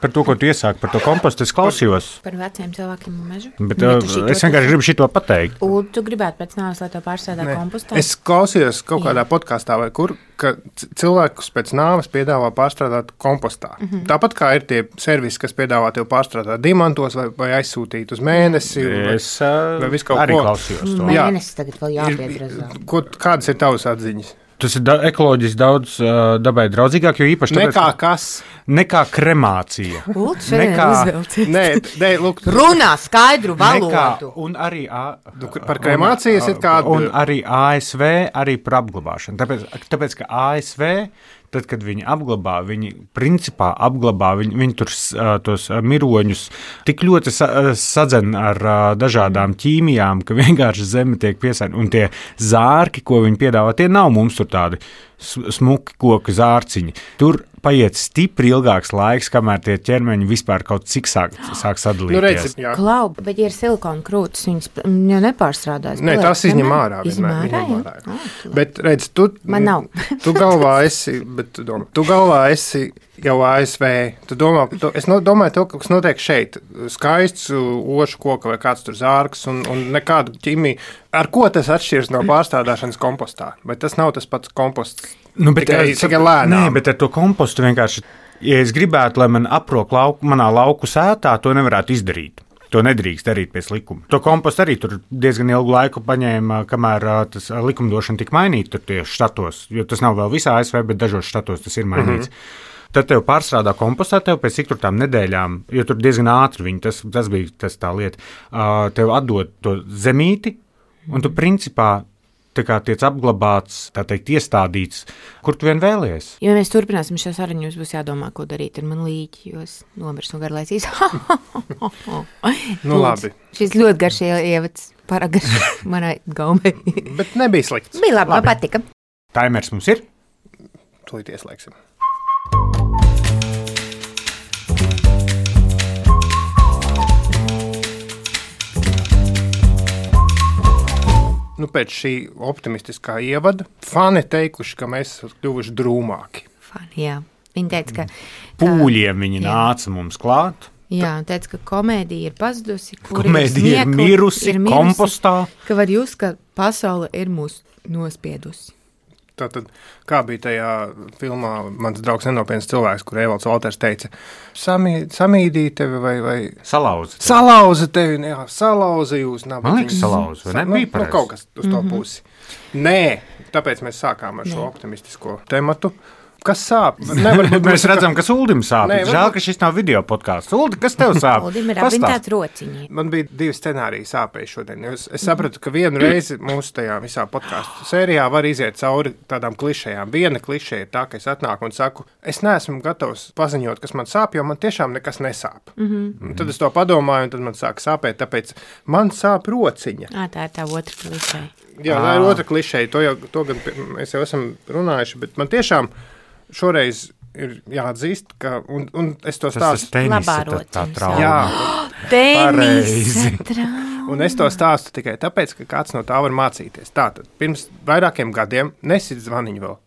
Par to, ko tu iesāki, par to kompostu, es klausījos. Par veciem cilvēkiem un mežu. Bet es vienkārši gribu šito pateikt. Un tu gribētu pēc nāves, lai to pārstrādā kompostā? Es klausījos kaut kādā podkāstā vai kur, ka cilvēkus pēc nāves piedāvā pārstrādāt kompostā. Tāpat kā ir tie servisi, kas piedāvā tev pārstrādāt diamantos vai aizsūtīt uz mēnesi. Es arī klausījos to. Mēnesis tagad vēl jāpiedrazā. Kādas ir tavas atziņas? Tas ir ekoloģiski daudz dabai draudzīgāk, jo īpaši tāpēc, nekā kas? Nekā kremācija. Nē, lūk. Runā skaidru valodu. Un arī par kremācijas ir kāda. Un arī ASV, arī par apglabāšanu. Tāpēc, ka ASV, tad, kad viņi apglabā, viņi principā apglabā, viņi tur tos miroņus tik ļoti sadzen ar dažādām ķīmijām, ka vienkārši zeme tiek piesārņota. Un tie zārki, ko viņi piedāvā, tie nav mums tur tādi smuki koku zārciņi. Tur paiet stipri ilgāks laiks, kamēr tie ķermeņi vispār kaut cik sāk sadalīties. Nu, redzi, Klau, bet ja ir silikona krūtis, viņas jau nepārstrādās. Nē, tas izņem ārā. Bet redz, Man nav. Tu galvā esi jau ASV. Es domāju to, kas notiek šeit. Skaists ošu koka vai kāds tur zārks un nekādu ķimiju. Ar ko tas atšķiras no pārstrādāšanas kompostā? Vai tas nav tas pats komposts? Tikai lēnām. Nē, bet ar to kompostu vienkārši, ja es gribētu, lai man aprok manā lauku sētā, to nevarētu izdarīt. To nedrīkst darīt pēc likuma. To kompostu arī tur diezgan ilgu laiku paņēma, kamēr tas likumdošana tika mainīta tur tieši štatos, jo tas nav vēl visā ASV, bet dažos štatos tas ir mainīts. Tad tev pārstrādā kompostā, tev pēc cik tur tām nedēļām, jo tur diezgan ātri viņi, tas bija tā lieta, tev atdod to zemīti, un tu principā tā kā tiec apglabāts, tā teikt, iestādīts, kur tu vien vēlies. Ja mēs turpināsim šo sarunu, jums būs jādomā, ko darīt ar man līķi, jo es nomirstu un garlaicīs. Nu labi. Šis ļoti garš ievads, paragarš manai gaumei. Bet nebija slikts. Bija labi. Man patika. Taimers mums ir? Tūlīt ieslēgsim. Nu, pēc šī optimistiskā ievada fani teikuši, ka mēs esam kļuvuši drūmāki. Fani, jā. Viņi teica, ka... Pūļiem viņi nāca mums klāt. Jā, un teica, ka komēdija ir pazudusi. Komēdija ir mirusi kompostā. Ka var jūs, ka pasaule ir mūs nospiedusi. Tātad, kā bija tajā filmā Mans draugs nenopietns cilvēks, kur Evalds Valters teica, samīdīja tevi vai... Salauza tevi, jā, salauza jūs. Man liekas salauza, vai nebija pareizi? Kaut kas uz to pusi. Nē, tāpēc mēs sākām ar šo optimistisko tematu. Kas sāp? Mēs redzam, ka Uldim sāp. Žēl, ka šis nav video podkāsts. Uldi, kas tev sāp? Uldim ir apvintāts rociņi. Man bija 2 scenāriji sāpēji šodien. Es sapratu, ka vienu reizi mūsu tajā visā podkāstu sērijā var iziet cauri tādām klišejām. Viena klišeja ir tā, ka es atnāku un saku, es neesmu gatavs paziņot, kas man sāp, jo man tiešām nekas nesāp. Tad es to padomāju, un tad man sāk sāpēt, tāpēc man sāp rociņa. Tā ir tā otra klišeja. Jā, tā ir otra klišeja. To gan mēs jau esam runājuši, bet man tiešām šoreiz ir jāatzīst, ka, un es to stāstu. Labā rociņa. Jā, tenisa trauma. Un es to stāstu tikai tāpēc, ka kāds no tā var mācīties. Tātad, pirms vairākiem gadiem, nesit zvaniņu vēl.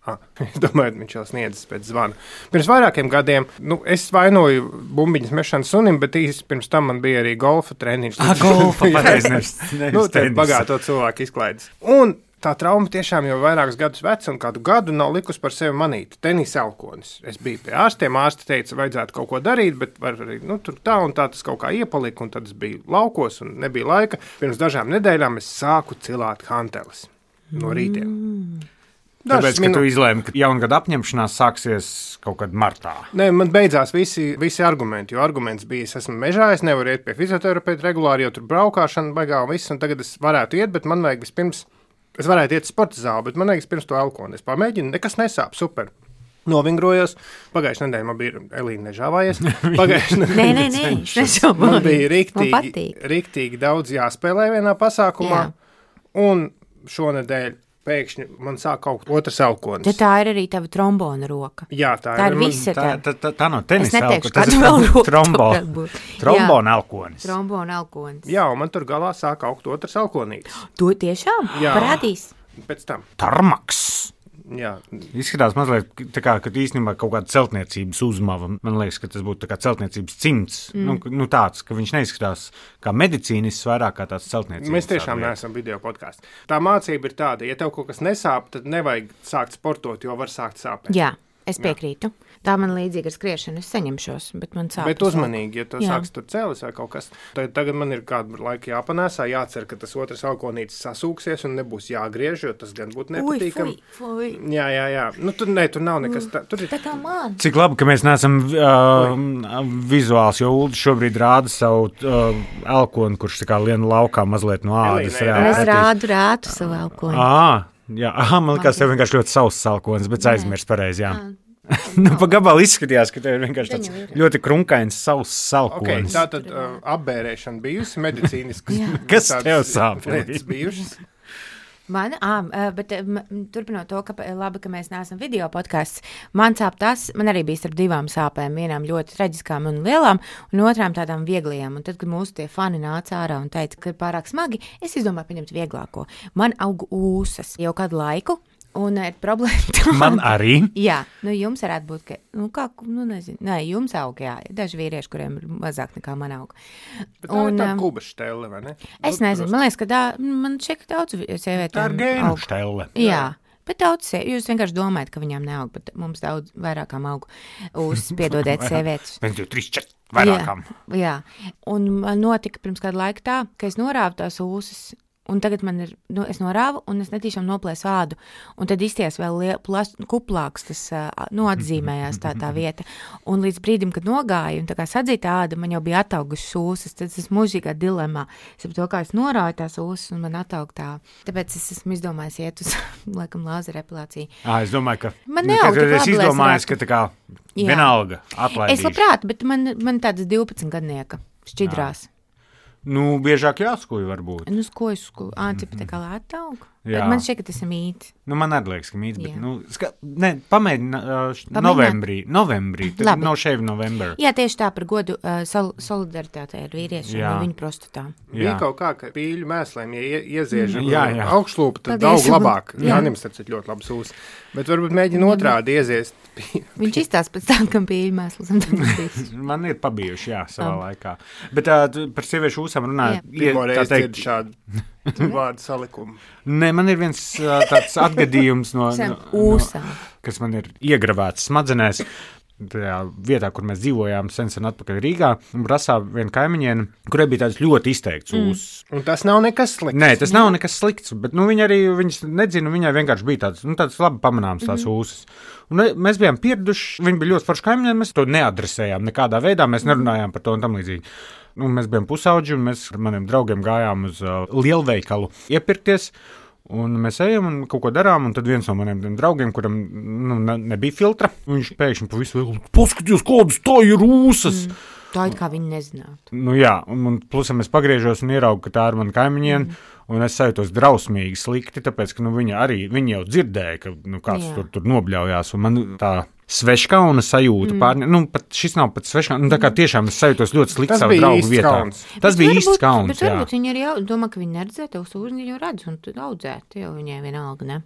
Es domāju, viņš jau sniedzas pēc zvana. Pirms vairākiem gadiem, es vainoju bumbiņas mešanu sunim, bet īsti pirms tam man bija arī golfa treniņš. Golfa, pareizi. Te bagāto cilvēku izklaides. Un tā trauma tiešām jau vairākus gadus veca, un kādu gadu nav likus par sevi manīt. Tenisa elkonis. Es biju pie ārstiem, ārsti teica, vajadzētu kaut ko darīt, bet var arī, tur tā un tā tas kaut kā iepalika, un tad es biju laukos, un nebija laika. Pirms dažām nedēļām es sāku cilāt hanteles no rītiem. Tāpēc, ka tu izlēmi, ka jaungada apņemšanās sāksies kaut kad martā. Nē, man beidzās visi argumenti, jo arguments bija, es esmu mežā, es nevaru iet pie fizioterapeita regulāri, jo tur braukāšana baigā un viss, un tagad es varētu iet, bet man vajag vispirms. Es varētu iet sporta zāli, bet man liekas, pirms to elkoni. Es pamēģinu, nekas nesāp, super. Novingrojos. Pagājušajā nedēļā man bija Elīna nežāvājies. Nē. Man bija riktīgi daudz jāspēlē vienā pasākumā. Jā. Un šonedēļ pēkšņi man sāk kaut otrs elkonis. Ja tā ir arī tava trombona roka. Jā, tā ir visa tā no tenisa elkonis. Tas ir trombona elkonis. Trombona elkonis. Jā, un man tur galā sāk augt otrs elkonītis. To tiešām? Jā. Parādīs. Pēc tam. Tarmaks. Jā. Izskatās mazliet tā kā, ka īstenībā kaut kāda celtniecības uzmava. Man liekas, ka tas būtu tā kā celtniecības cimds. Nu tāds, ka viņš neizskatās kā medicīnists, vairāk kā tāds celtniecības. Mēs tiešām neesam video podkāsts. Tā mācība ir tāda, ja tev kaut kas nesāp, tad nevajag sākt sportot, jo var sākt sāpēt. Jā. Es piekrītu. Tā man līdzīga ar skriešanu. Es saņemšos, bet man sāp. Bet uzmanīgi, ja tu sāks tur cēlis vai kaut kas. Tagad man ir kādu laiku jāpanēsā, jācer, ka tas otrs alkonītis sasūksies un nebūs jāgriež, jo tas gan būtu nepatīkami. Fui. Jā. Nu, tur nav nekas tur ir. Tā kā man. Cik labi, ka mēs neesam vizuāls, jo Ulda šobrīd rāda savu elkoni, kurš tā kā lien laukā mazliet no ādas. Es rādu savu elkoni. Jā, man liekas, tev vienkārši ļoti sauss salkonis, bet aizmirst pareizi, jā. Nu, pa gabalu izskatījās, ka tev ir vienkārši tāds ļoti krunkains sauss salkonis. Okay, tātad apbērēšana bijusi medicīniski. Kas tev sāp? Lietas bijušas? Man, bet turpinot to, ka labi, ka mēs neesam video podkāsts, man sāp tas, man arī bija starp divām sāpēm, vienām ļoti traģiskām un lielām, un otrām tādām vieglajām. Un tad, kad mūsu tie fani nāca ārā un teica, ka ir pārāk smagi, es izdomāju paņemt vieglāko. Man aug ūsas jau kādu laiku. Un ir problēma tāda. Man arī. Jā, jums varētu būt, ka, nezinu, jums aug, jā, daži vīrieši, kuriem ir mazāk nekā man aug. Bet tā ir tā kuba štelle, vai ne? Es nezinu, man liekas, ka man šķiet, ka daudz sievietēm tā ir gēnu štelle. Jā. Bet daudz jūs vienkārši domājat, ka viņām neaug, bet mums daudz vairākām aug piedodiet sievietes. 1, 2, 3, 4 vairākām. Jā, un man notika pirms kādu laiku tā, ka es norāvu tās ūsas. Un tagad man ir, es norāvu, un es netīšām noplēsu ādu. Un tad izties vēl kuplāks, tas atzīmējās tā vieta. Un līdz brīdim, kad nogāju, un tā kā sadzīta āda, man jau bija ataugušas ūsas. Tad es mūžīgā dilemā. Es ap to, kā es norāju tās ūsas, un man ataug tā. Tāpēc es esmu izdomājis iet uz, laikam, lāzera epilāciju. Es domāju, ka... Man neaug tik labi, es izdomāju, ka tā kā vienalga atlaidīšu. Es labprāt, bet man tādas 12 gadnieka šķidrās. Nu, biežāk jāskuj varbūt. Nu, skoju, cipa tā kā lēta aug. Man šķiet, ka tas ir mīts. Nu, man arī liekas, ka mīts, bet, pamēģini novembrī, tad no šeit novembrī. Jā, tieši tā par godu solidaritātei ar vīriešiem un viņu prostatām. Bija kaut kā, ka pīļu mēslēm, ja ieziežam augšlūpu, tad daudz labāk. Jānim starp ļoti labs ūs. Bet varbūt mēģina otrādi ieziest. Viņš izstās pēc tam, kam pīļu mēslas. Man ir pabijuši, savā laikā. Bet par sieviešu ūsām runājot. Pirmo reizi dzird šādu vārdu salikumu. Nē, man ir viens tāds atgadījums no ūsām, kas man ir iegravēts smadzenēs. Tajā vietā, kur mēs dzīvojām sen atpakaļ Rīgā, un prasā viena kaimiņiene, kurai bija tāds ļoti izteikts ūs. Un tas nav nekas slikts. Nē, tas nav nekas slikts, bet viņas nedzina, viņai vienkārši bija tāds labi pamanāms tās ūsas. Un mēs bijām pieraduši, viņa bija ļoti forša kaimiņiene, mēs to neadresējām nekādā veidā, mēs nerunājām par to un tam līdzīgi. Mēs bijām pusauģi, un mēs ar maniem draugiem gājām uz lielveikalu iepirkties. Un mēs ejam un kaut ko darām, un tad viens no maniem draugiem, kuram nebija filtra, viņš pēkšņi pa visu vēl paskatījos, kādas tā ir ūsas. Tā it kā viņi nezinātu. Nu jā, un plusam es pagriežos un ieraugu, ka tā ir mana kaimiņiene, un es sajūtos drausmīgi slikti, tāpēc, ka viņa jau dzirdēja, ka kāds tur nobļaujās, un man tā sveškauna sajūta pārņem. Pat šis nav pat sveškauna, tā kā tiešām es sajūtos ļoti slikti savu draugu vietā. Tas bija īsts kauns, bet varbūt viņi arī domā, ka viņi neredzē tev sūžņi, viņi jau redz, un tad audzēt, jau viņai vienalga, ne?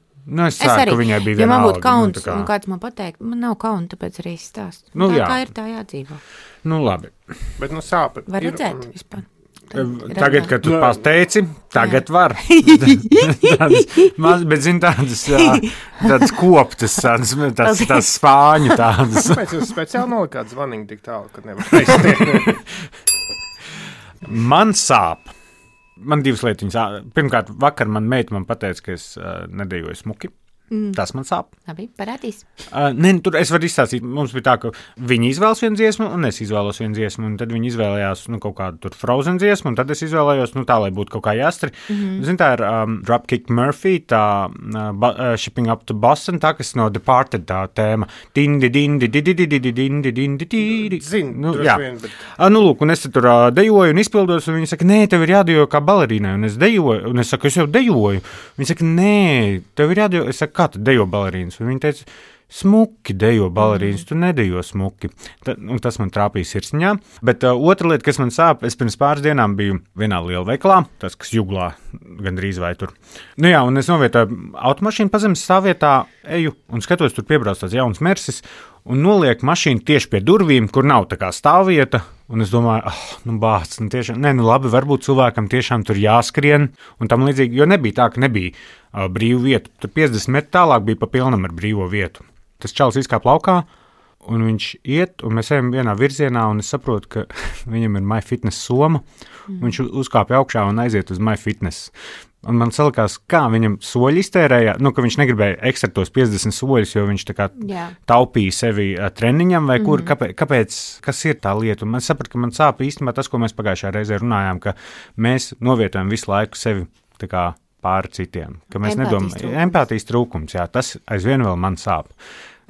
Es ceru, ka viņai bija vienalga. Ja man būtu kauns, un kāds man pateikt, man nav kauna, tāpēc arī es stāstu. Tā kā ir, tā jādzīvo. Nu, labi. Bet, sāpa. Var redzēt vispār. Tagad, kad tu pateici, tagad var. Bet, zini, tādas koptas, tādas spāņu tādas. Kāpēc jūs speciāli nolikāt zvaniņu tik tālu, kad nevar aiztiek? Man sāp. Man divas lietiņas. Pirmkārt, vakar meita man pateica, ka es nedejoju smuki. Tas man sāp. Labi, parādīs. Tur es varu izstāstīt. Mums bija tā, ka viņi izvēlas vienu dziesmu, un es izvēlos vienu dziesmu, un tad viņi izvēlējās kaut kādu tur Frozen dziesmu, un tad es izvēlējos tā, lai būtu kaut kā jāstri. Zini, tā ir Dropkick Murphy, tā Shipping Up to Boston, tā, kas no Departed tā tēma. Dindi, dindi, dindi, dindi, dindi, dindi, dindi. Zinu, jā. Lūk, un es tur dejoju un izpildos, un viņi saka, nē, tev ir jādejo kā balerīnai, un es dejoju, un es saku, es jau dejoju. Viņi saka, nē, tev ir jādejo, es saku, kā tu dejo balerīnas? Un viņi teica, smuki dejo balerīnas, tu nedejo smuki. Tas man trāpīja sirsniņā. Bet otra lieta, kas man sāp, es pirms pāris dienām biju vienā lielveikalā, tas, kas Juglā gandrīz vai tur. Nu jā, un es novietoju automašīnu pazemes stāvvietā, eju un skatos, tur piebrauc tāds jauns Mersis un noliek mašīnu tieši pie durvīm, kur nav tā kā stāvvieta. Un es domāju, bāc, tiešām, labi, varbūt cilvēkam tiešām tur jāskrien un tam līdzīgi, jo nebija tā, ka nebija brīvu vietu. Tur 50 metri tālāk bija pa pilnam ar brīvo vietu. Tas čalis izkāp laukā, un viņš iet, un mēs ejam vienā virzienā, un es saprotu, ka viņam ir MyFitness soma. Viņš uzkāpja augšā un aiziet uz MyFitness. Un man salikās, kā viņam soļi iztērēja, ka viņš negribēja ekstra tos 50 soļus, jo viņš tā kā taupīja sevi treniņam vai kur, kāpēc, kas ir tā lieta. Un man sapratu, ka man sāp īstenībā tas, ko mēs pagājušajā reizē runājām, ka mēs novietojam visu laiku sevi tā kā pāri citiem, ka mēs nedomājam, empātijas trūkums, jā, tas aizvien vēl man sāp.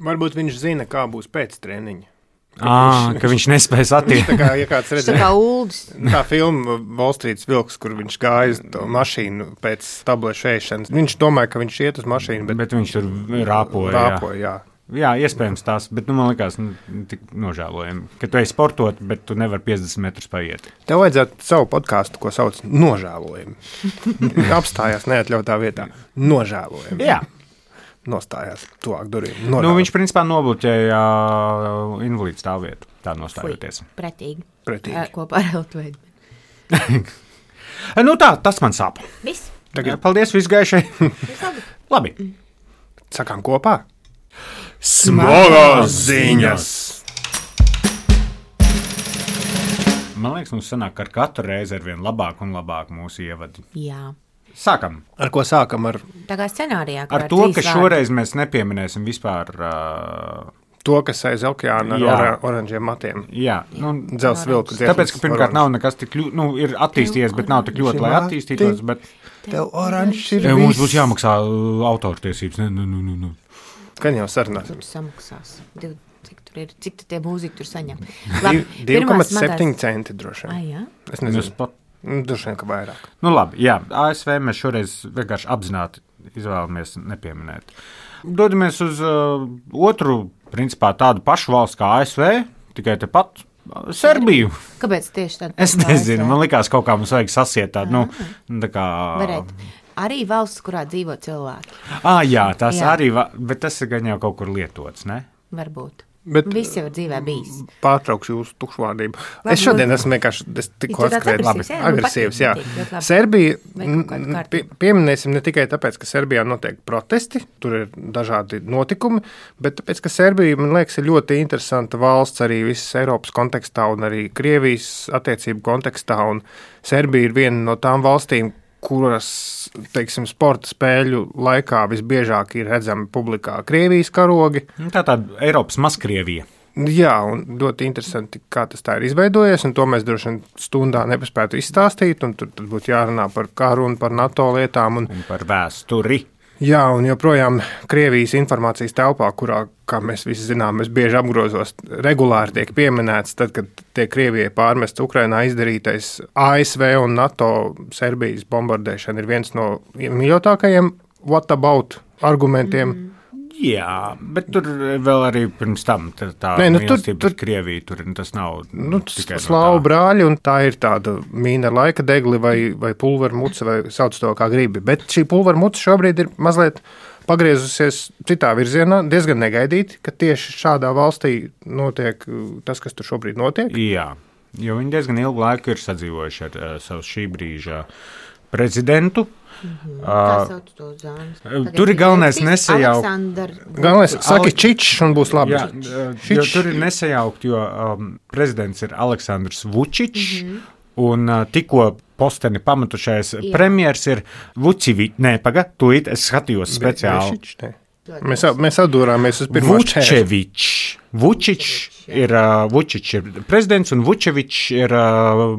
Varbūt viņš zina, kā būs pēc treniņa. Ka viņš nespēs attīstīt. Tā kā, ja kāds redzēja, tā kā Uldis. Tā filma Wall Street vilks, kur viņš gāja to mašīnu pēc tablešu ēšanas. Viņš domāja, ka viņš iet uz mašīnu, bet viņš tur rāpoja. Jā. Jā, iespējams tās, bet man likās tik nožēlojami, ka tu ej sportot, bet tu nevari 50 metrus paiet. Tev vajadzētu savu podkāstu, ko sauc nožēlojami. Apstājās neatļautā vietā. Nožēlojami. Jā. Nostājās tuvāk durvīm. Viņš principā nobloķēja invalīdu stāvvietu, tā nostājoties. Pretīgi. Kopā ar Eltveidi. Tas man sāp. Viss. Paldies, viss gaišai. Labi. Sakām kopā. Smagās ziņas! Man liekas, mums sanāk, ka ar katru reizi ar vien labāk un labāk mūsu ievadi. Jā. Sākam. Ar ko sākam? Tā kā scenārijā. Ar to, ka šoreiz mēs nepieminēsim vispār to, kas aiz okeāna ar oranžiem matiem. Jā. Dzels vilku. Tāpēc, ka pirmkārt nav nekas tik ir attīstījies, bet nav tik ļoti, lai attīstītos. Tev oranžs ir viss. Mums būs jāmaksā autortiesības. Ne. Gan jau sarunāsim. Samaksās. Cik tie mūzika tur saņem? 2,7 centi droši vien. Jā? Es nezinu. Droši vien, ka vairāk. Labi, jā. ASV mēs šoreiz vienkārši apzināti izvēlamies nepieminēt. Dodamies uz otru, principā tādu pašu valsts kā ASV, tikai tepat Serbiju. Kāpēc tieši tādu? Es nezinu, man likās kaut kā mums vajag sasiet tādu, tā kā... Varētu. Arī valsts, kurā dzīvo cilvēki. Jā, tas arī, bet tas ir gan jau kaut kur lietots, ne? Varbūt. Bet viss jau ir dzīvē bijis. Pārtraukšu jūsu tukšvārdību. Es šodien esmu vienkārši tikko agresīvs. Jā. Serbija, pieminēsim ne tikai tāpēc, ka Serbijā notiek protesti, tur ir dažādi notikumi, bet tāpēc, ka Serbija, man liekas, ir ļoti interesanta valsts arī visas Eiropas kontekstā un arī Krievijas attiecību kontekstā, un Serbija ir viena no tām valstīm, kuras, teiksim, sporta spēļu laikā visbiežāk ir redzami publikā Krievijas karogi. Tā tāda Eiropas Mazkrievija. Jā, un ļoti interesanti, kā tas tā ir izveidojies, un to mēs droši vien stundā nepaspētu izstāstīt, un tur būtu jārunā par karu un par NATO lietām. Un par vēsturi. Jā, un joprojām Krievijas informācijas telpā, kurā, kā mēs visi zinām, mēs bieži apgrozos, regulāri tiek pieminēts, tad, kad tiek Krievijai pārmests Ukrainā izdarītais ASV un NATO Serbijas bombardēšana ir viens no mīļotākajiem what about argumentiem. Jā, bet tur vēl arī pirms tam tā mīlestība pret Krieviju, tur tas nav tikai slāvu brāļi, un tā ir tāda mīna laika degli vai pulvermuca, vai sauc to kā gribi. Bet šī pulvermuca šobrīd ir mazliet pagriezusies citā virzienā, diezgan negaidīti, ka tieši šādā valstī notiek tas, kas tur šobrīd notiek. Jā, jo viņi diezgan ilgu laiku ir sadzīvojuši ar savu šī brīža prezidentu. Tur ir galvenais nesajaukt. Galvenais saki Čičs un būs labi. Jā, tur ir nesajaukt, jo prezidents ir Aleksandrs Vučičs, un tikko posteni pamatušais premjers ir Vučivičs. Nē, tūlīt es skatījos speciāli. Mēs atdūrāmies uz pirmo Vučevičs. Ir Vučičs ir prezidents un Vučevičs ir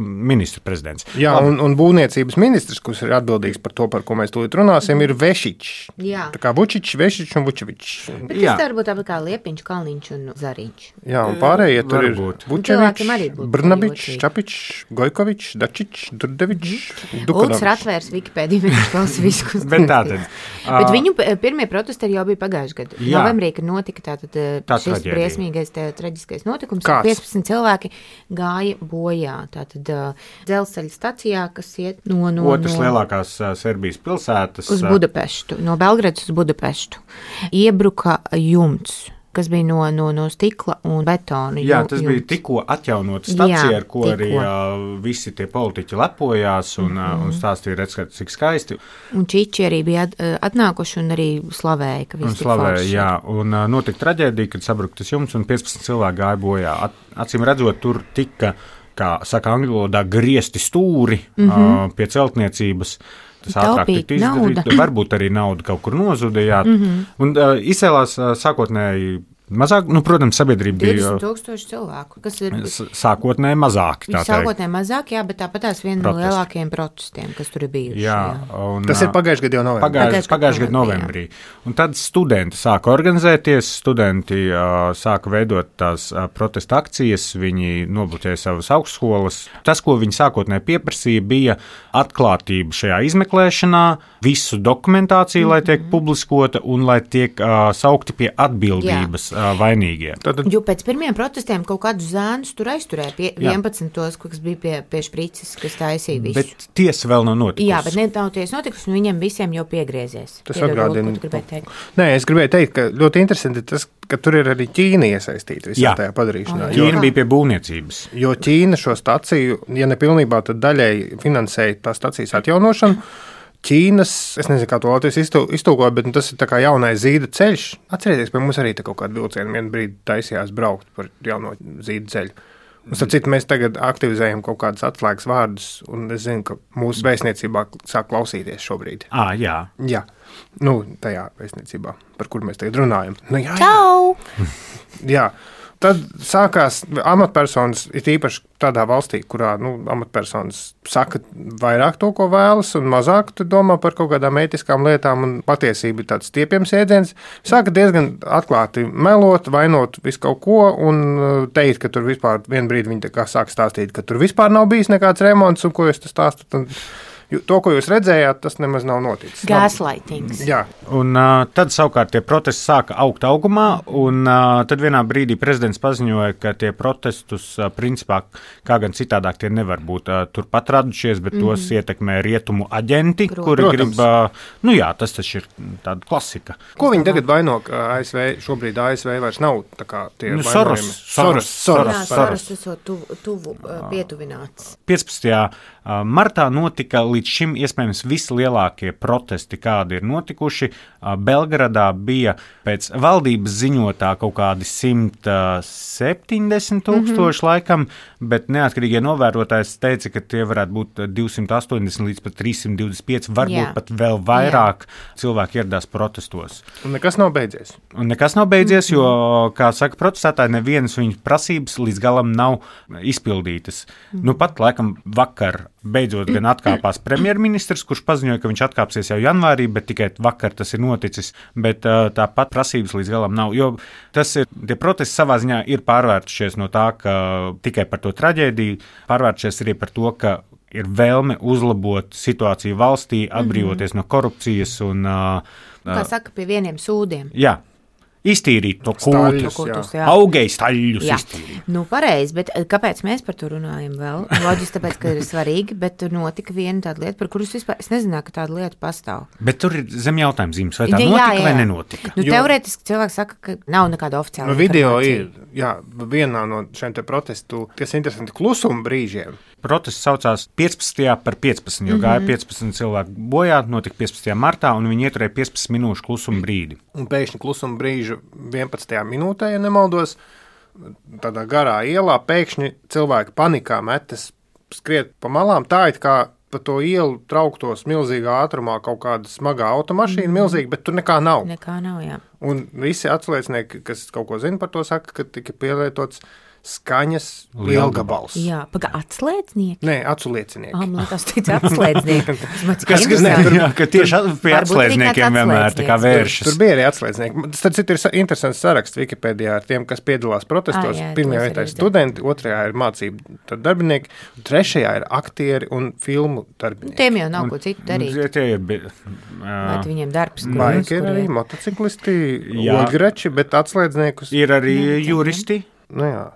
ministra prezidents. Jā, un būvniecības ministrs, kurš ir atbildīgs par to, par ko mēs tūlīt runāsim, ir Vešičs. Jā. Tā kā Vučičs, Vešičs un Vučevičs. Bet tas var būt tāpat kā Liepiņš, Kalniņš un Zariņš. Jā, un pārējie tur ir Cilvēkiem arī Vučevičs, būtu Brnabičs, ļoti. Čapičs, Gojkovičs, Dačičs, Durdevičs, Ulds Dukanovs. ir atvērts Wikipēdiju, viņš klausa visu. Bet tātad. Bet viņu pirmie protesti arī jau bija pagājuši gadu. Jā. Novembrī, kad notika Tā šis traģēdija. briesmīgais traģiskais notikums, Kāds? 15 cilvēki gāja bojā. Tātad dzelzceļa stacijā, kas iet no Otras lielākās Serbijas pilsētas. uz Budapeštu, no Belgradas uz Budapeštu. Iebruka jumts, kas bija no stikla un betona. Jā, tas bija tikko atjaunota stacija, Jā, ar ko arī visi tie politiķi lepojās un stāstīja, redz, cik skaisti. Un čiči arī bija atnākuši un arī slavēja, ka Un viss ir slavēja, forši. jā, un notika traģēdija, kad sabruka tas jumts un 15 cilvēki gāja bojā. Acīm redzot, tur tika, kā saka angļu valodā, griezti stūri pie celtniecības. Tas ātrāk Taupīt tika izdarīts, nauda. varbūt arī nauda kaut kur nozuda, jā. Un izcēlās sākotnēji mazāk, protams, sabiedrība bija 20,000 cilvēku, kas ir sākotnēji mazāki, tā teikt. sākotnēji mazāk, jā, bet tāpat tās viena no Protesti. lielākajiem protestiem, kas tur ir bijuši. Jā, un, Tas ir pagājuši gadu jau novembrī. Pagājušajā gadā novembrī. Un tad studenti sāka organizēties, studenti sāka veidot tās protesta akcijas, viņi nobloķēja savas augstskolas. Tas, ko viņi sākotnēji pieprasīja, bija atklātība šajā izmeklēšanā, visu dokumentāciju, lai tiek publiskota un lai tiek saukti pie atbildības vainīgie. Jo pēc pirmiem protestiem kaut kādus zēnus tur aizturēja pie 11, kas bija pie šprices, kas taisīja visu. Bet tiesa vēl nav notikusi. Jā, bet nav tiesa notikusi, un viņiem visiem jau piegriezies. Tas Piedod, atgādina. ko tu gribēji teikt? Nē, es gribēju teikt, ka ļoti interesanti tas, ka tur ir arī Ķīna iesaistīta visā Jā. tajā padarīšanā. Ķīna bija pie būvniecības. Jo Ķīna šo staciju, ja ne pilnībā, tad daļēji finansēja tā stacijas atjaunošanu. Ķīnas, es nezinu, kā to Latvijas iztulkoja, bet tas ir tā kā jaunais zīda ceļš. Atcerieties, pie mums arī tā kaut kāda vilciena vienu brīdi taisījās braukt par jauno zīda ceļu. Un, starp citu, mēs tagad aktivizējam kaut kādus atslēgas vārdus, un es zinu, ka mūsu vēstniecībā sāk klausīties šobrīd. Jā. Jā, tajā vēstniecībā, par kur mēs tagad runājam. Jā. Čau! Jā. Tad sākās amatpersonas, it īpaši tādā valstī, kurā amatpersonas saka vairāk to, ko vēlas, un mazāk domā par kaut kādām ētiskām lietām, un patiesība ir tāds stiepjams jēdziens. Sāka diezgan atklāti melot, vainot visu kaut ko, un teikt, ka tur vispār vienā brīdī viņi sāk stāstīt, ka tur vispār nav bijis nekāds remonts, un ko jūs stāstat. To, ko jūs redzējāt, tas nemaz nav noticis. Gaslightings. Jā. Un tad savukārt tie protesti sāka augt augumā, un tad vienā brīdī prezidents paziņoja, ka tie protestus principā, kā gan citādāk, tie nevar būt turpat radušies, bet tos ietekmē rietumu aģenti, kuri grib, tas taču ir tāda klasika. Ko viņi tagad vaino, ka ASV, šobrīd ASV vairs nav tā kā tie Soros. Soros esot tuvu pietuvināts. 15. martā notika līdz šim iespējams vislielākie protesti, kādi ir notikuši. Belgradā bija pēc valdības ziņotā kaut kādi 170,000 laikam, bet neatkarīgie novērotājs teica, ka tie varētu būt 280 līdz pat 325, varbūt pat vēl vairāk cilvēki ieradās protestos. Un nekas nav beidzies. Jo, kā saka protestētāji, nevienas viņu prasības līdz galam nav izpildītas. Pat laikam vakar beidzot gan atkāpās premjerministrs, kurš paziņoja, ka viņš atkāpsies jau janvārī, bet tikai vakar tas ir noticis, bet tāpat prasības līdz galam nav, jo tie protesti savā ziņā ir pārvērtušies no tā, ka tikai par to traģēdiju, pārvērtušies arī par to, ka ir vēlme uzlabot situāciju valstī, atbrīvoties no korupcijas un Kā saka, pie vieniem sūdiem. Jā. Iztīrīt to Kūtus, augēju staļļus. Pareizi, bet kāpēc mēs par to runājam vēl? Loģiski, tāpēc, ka ir svarīgi, bet tur notika viena tāda lieta, par kuru es nezināju, ka tāda lieta pastāv. Bet tur ir zem jautājuma zīmes, vai tā notika vai nenotika? Teorētiski cilvēks saka, ka nav nekāda oficiāla video ir, vienā no šiem te protestu, kas interesanti klusuma brīžiem. Protests saucās 15. par 15, jo gāja 15 cilvēku bojā, notika 15. martā, un viņi ieturēja 15 minūšu klusuma brīdi. Un pēkšņi klusuma brīžu 11. minūtē, ja nemaldos, tādā garā ielā pēkšņi cilvēki panikā metas skriet pa malām, tā it kā pa to ielu trauktos milzīgā ātrumā kaut kāda smagā automašīna milzīga, bet tur nekā nav. Nekā nav, jā. Un visi atsliecinieki, kas kaut ko zina par to, saka, ka tika pielietots skaņas lielgabals. Jā, atslēdznieki? Nē, atsliecinieki. Man liekas, teica atslēdznieki. Ka tieši pie atslēdzniekiem vienmēr tā kā vēršas. Tur bija arī atslēdznieki. Tas ir interesants saraksts Wikipēdijā ar tiem, kas piedalās protestos. Pirmajā vietā ir studenti, otrajā ir mācību darbinieki, trešajā ir aktieri un filmu darbinieki. Tiem jau nav ko citu darīt. Vai viņiem darbs? Baiki ir arī motociklisti, oļgrači, bet atslēdzniekus. Ir arī juristi. Nu jā.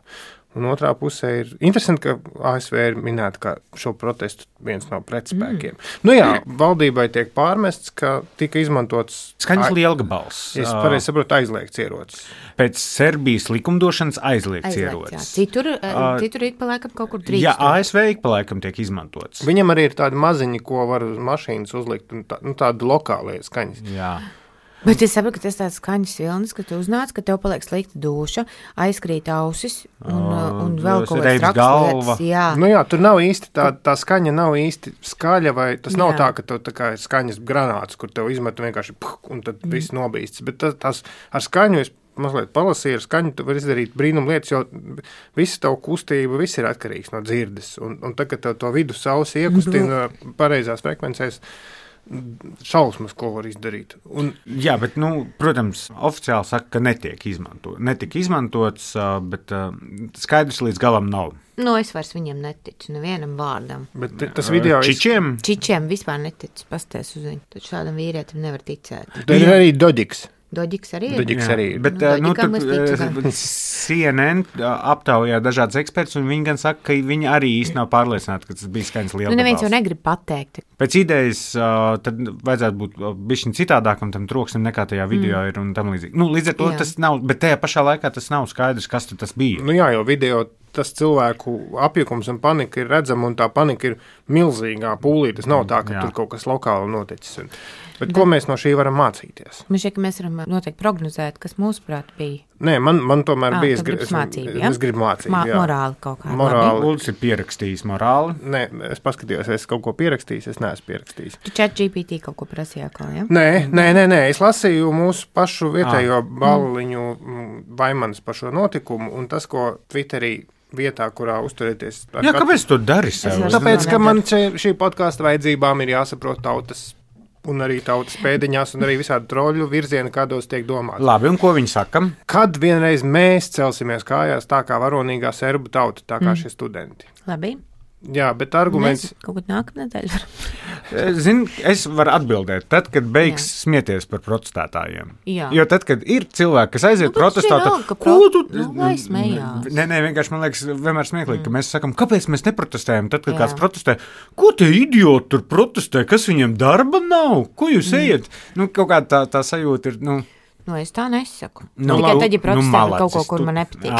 Un otrā pusē ir interesanti, ka ASV ir minēta kā šo protestu viens no pretspēkiem. Nu jā, valdībai tiek pārmests, ka tika izmantots skaņas lielgabals. Es pareizi saprotu, aizliegts ierocis. Pēc Serbijas likumdošanas aizliegts ierocis. Citur ik pa laikam kaut kur drīkst. Jā, ASV ik pa laikam tiek izmantots. Viņam arī ir tādi maziņi, ko var uz mašīnas uzlikt, un tādi lokālie skaņas. Jā. Bet es saprotu, ka tas tāds skaņas vilnis, ka tu uznāc, ka tev paliek slikta duša, aizkrīt ausis un vēl kaut kāds traks lietas. Jā. Nu jā, tur nav īsti tā skaņa nav īsti skaļa, vai tas nav tā, ka tev tā kā ir skaņas granāts, kur tev izmet vienkārši un tad viss nobīsts. Bet tas ar skaņu es mazliet palasīju, ar skaņu tu var izdarīt brīnum lietas, jo visa tavu kustība, viss ir atkarīgs no dzirdes. Un tad, kad tev to vidus ausi iekustina pareizās frekvencēs, šausmas, ko var izdarīt. Jā, bet, protams, oficiāli saka, ka netika izmantots, bet skaidrs līdz galam nav. Es vairs viņiem neticu, nevienam vārdam. Bet tas video Čičiem? Čičiem vispār neticu, pasties uz viņu. Taču šādam vīrietim nevar ticēt. Tur ir arī Doģiks. Doģiks arī ir. Doģiks arī ir. Bet CNN aptaujā dažādas ekspertus, un viņi gan saka, ka viņi arī īsti nav pārliecināti, ka tas bija skaņas lielgabals. Neviens jau negrib pateikt. Pēc idejas tad vajadzētu būt bišķiņ citādākam tam troksnim nekā tajā video ir un tam līdzīgi. Līdz ar to tas nav, bet tajā pašā laikā tas nav skaidrs, kas tas bija. Jā, jo video tas cilvēku apjukums un panika ir redzama, un tā panika ir milzīgā pūlī. Tas nav tā, ka tur kaut kas lokāli noticis. Bet ko mēs no šī varam mācīties? Man šķiet, ka mēs varam noteikti prognozēt, kas mūsuprāt bija. Nē, man tomēr bija. Es gribu mācību. Morāli kaut kāda. Ulds ir pierakstījis morāli. Nē, es paskatījos, es kaut ko pierakstījis, es neesmu pierakstījis. Tu ChatGPT kaut ko prasīja atkal, ja? Nē, es lasīju mūsu pašu vietējo balliņu Vaimanas par šo notikumu, un tas, ko Twitterī vietā, kurā uzturēties. Kāpēc tu dari sev? Tāpēc, ka man šī podkāsta vajadzībām ir jāsaprot tautas un arī tautas pēdiņās, un arī visādi troļu virzieni, kādos tiek domāts. Labi, un ko viņi saka? Kad vienreiz mēs celsimies kājās tā kā varonīgā serbu tauta, tā kā šie studenti? Labi. Jā, bet arguments... Mēs kaut kad nākamā nedēļa varam. Zini, es varu atbildēt, tad, kad beigs smieties par protestētājiem. Jā. Jo tad, kad ir cilvēki, kas aiziet protestēt, ko tu... Lai smējās. Nē, vienkārši man liekas vienmēr smieklīgi, ka mēs sakam, kāpēc mēs neprotestējam, tad, kad kāds protestē, ko tie idioti tur protestē, kas viņiem darba nav, ko jūs ejat? Kaut kāda tā sajūta ir, es tā nesaku. Tikai tad, ja protestē par kaut ko, kur man nepatīk.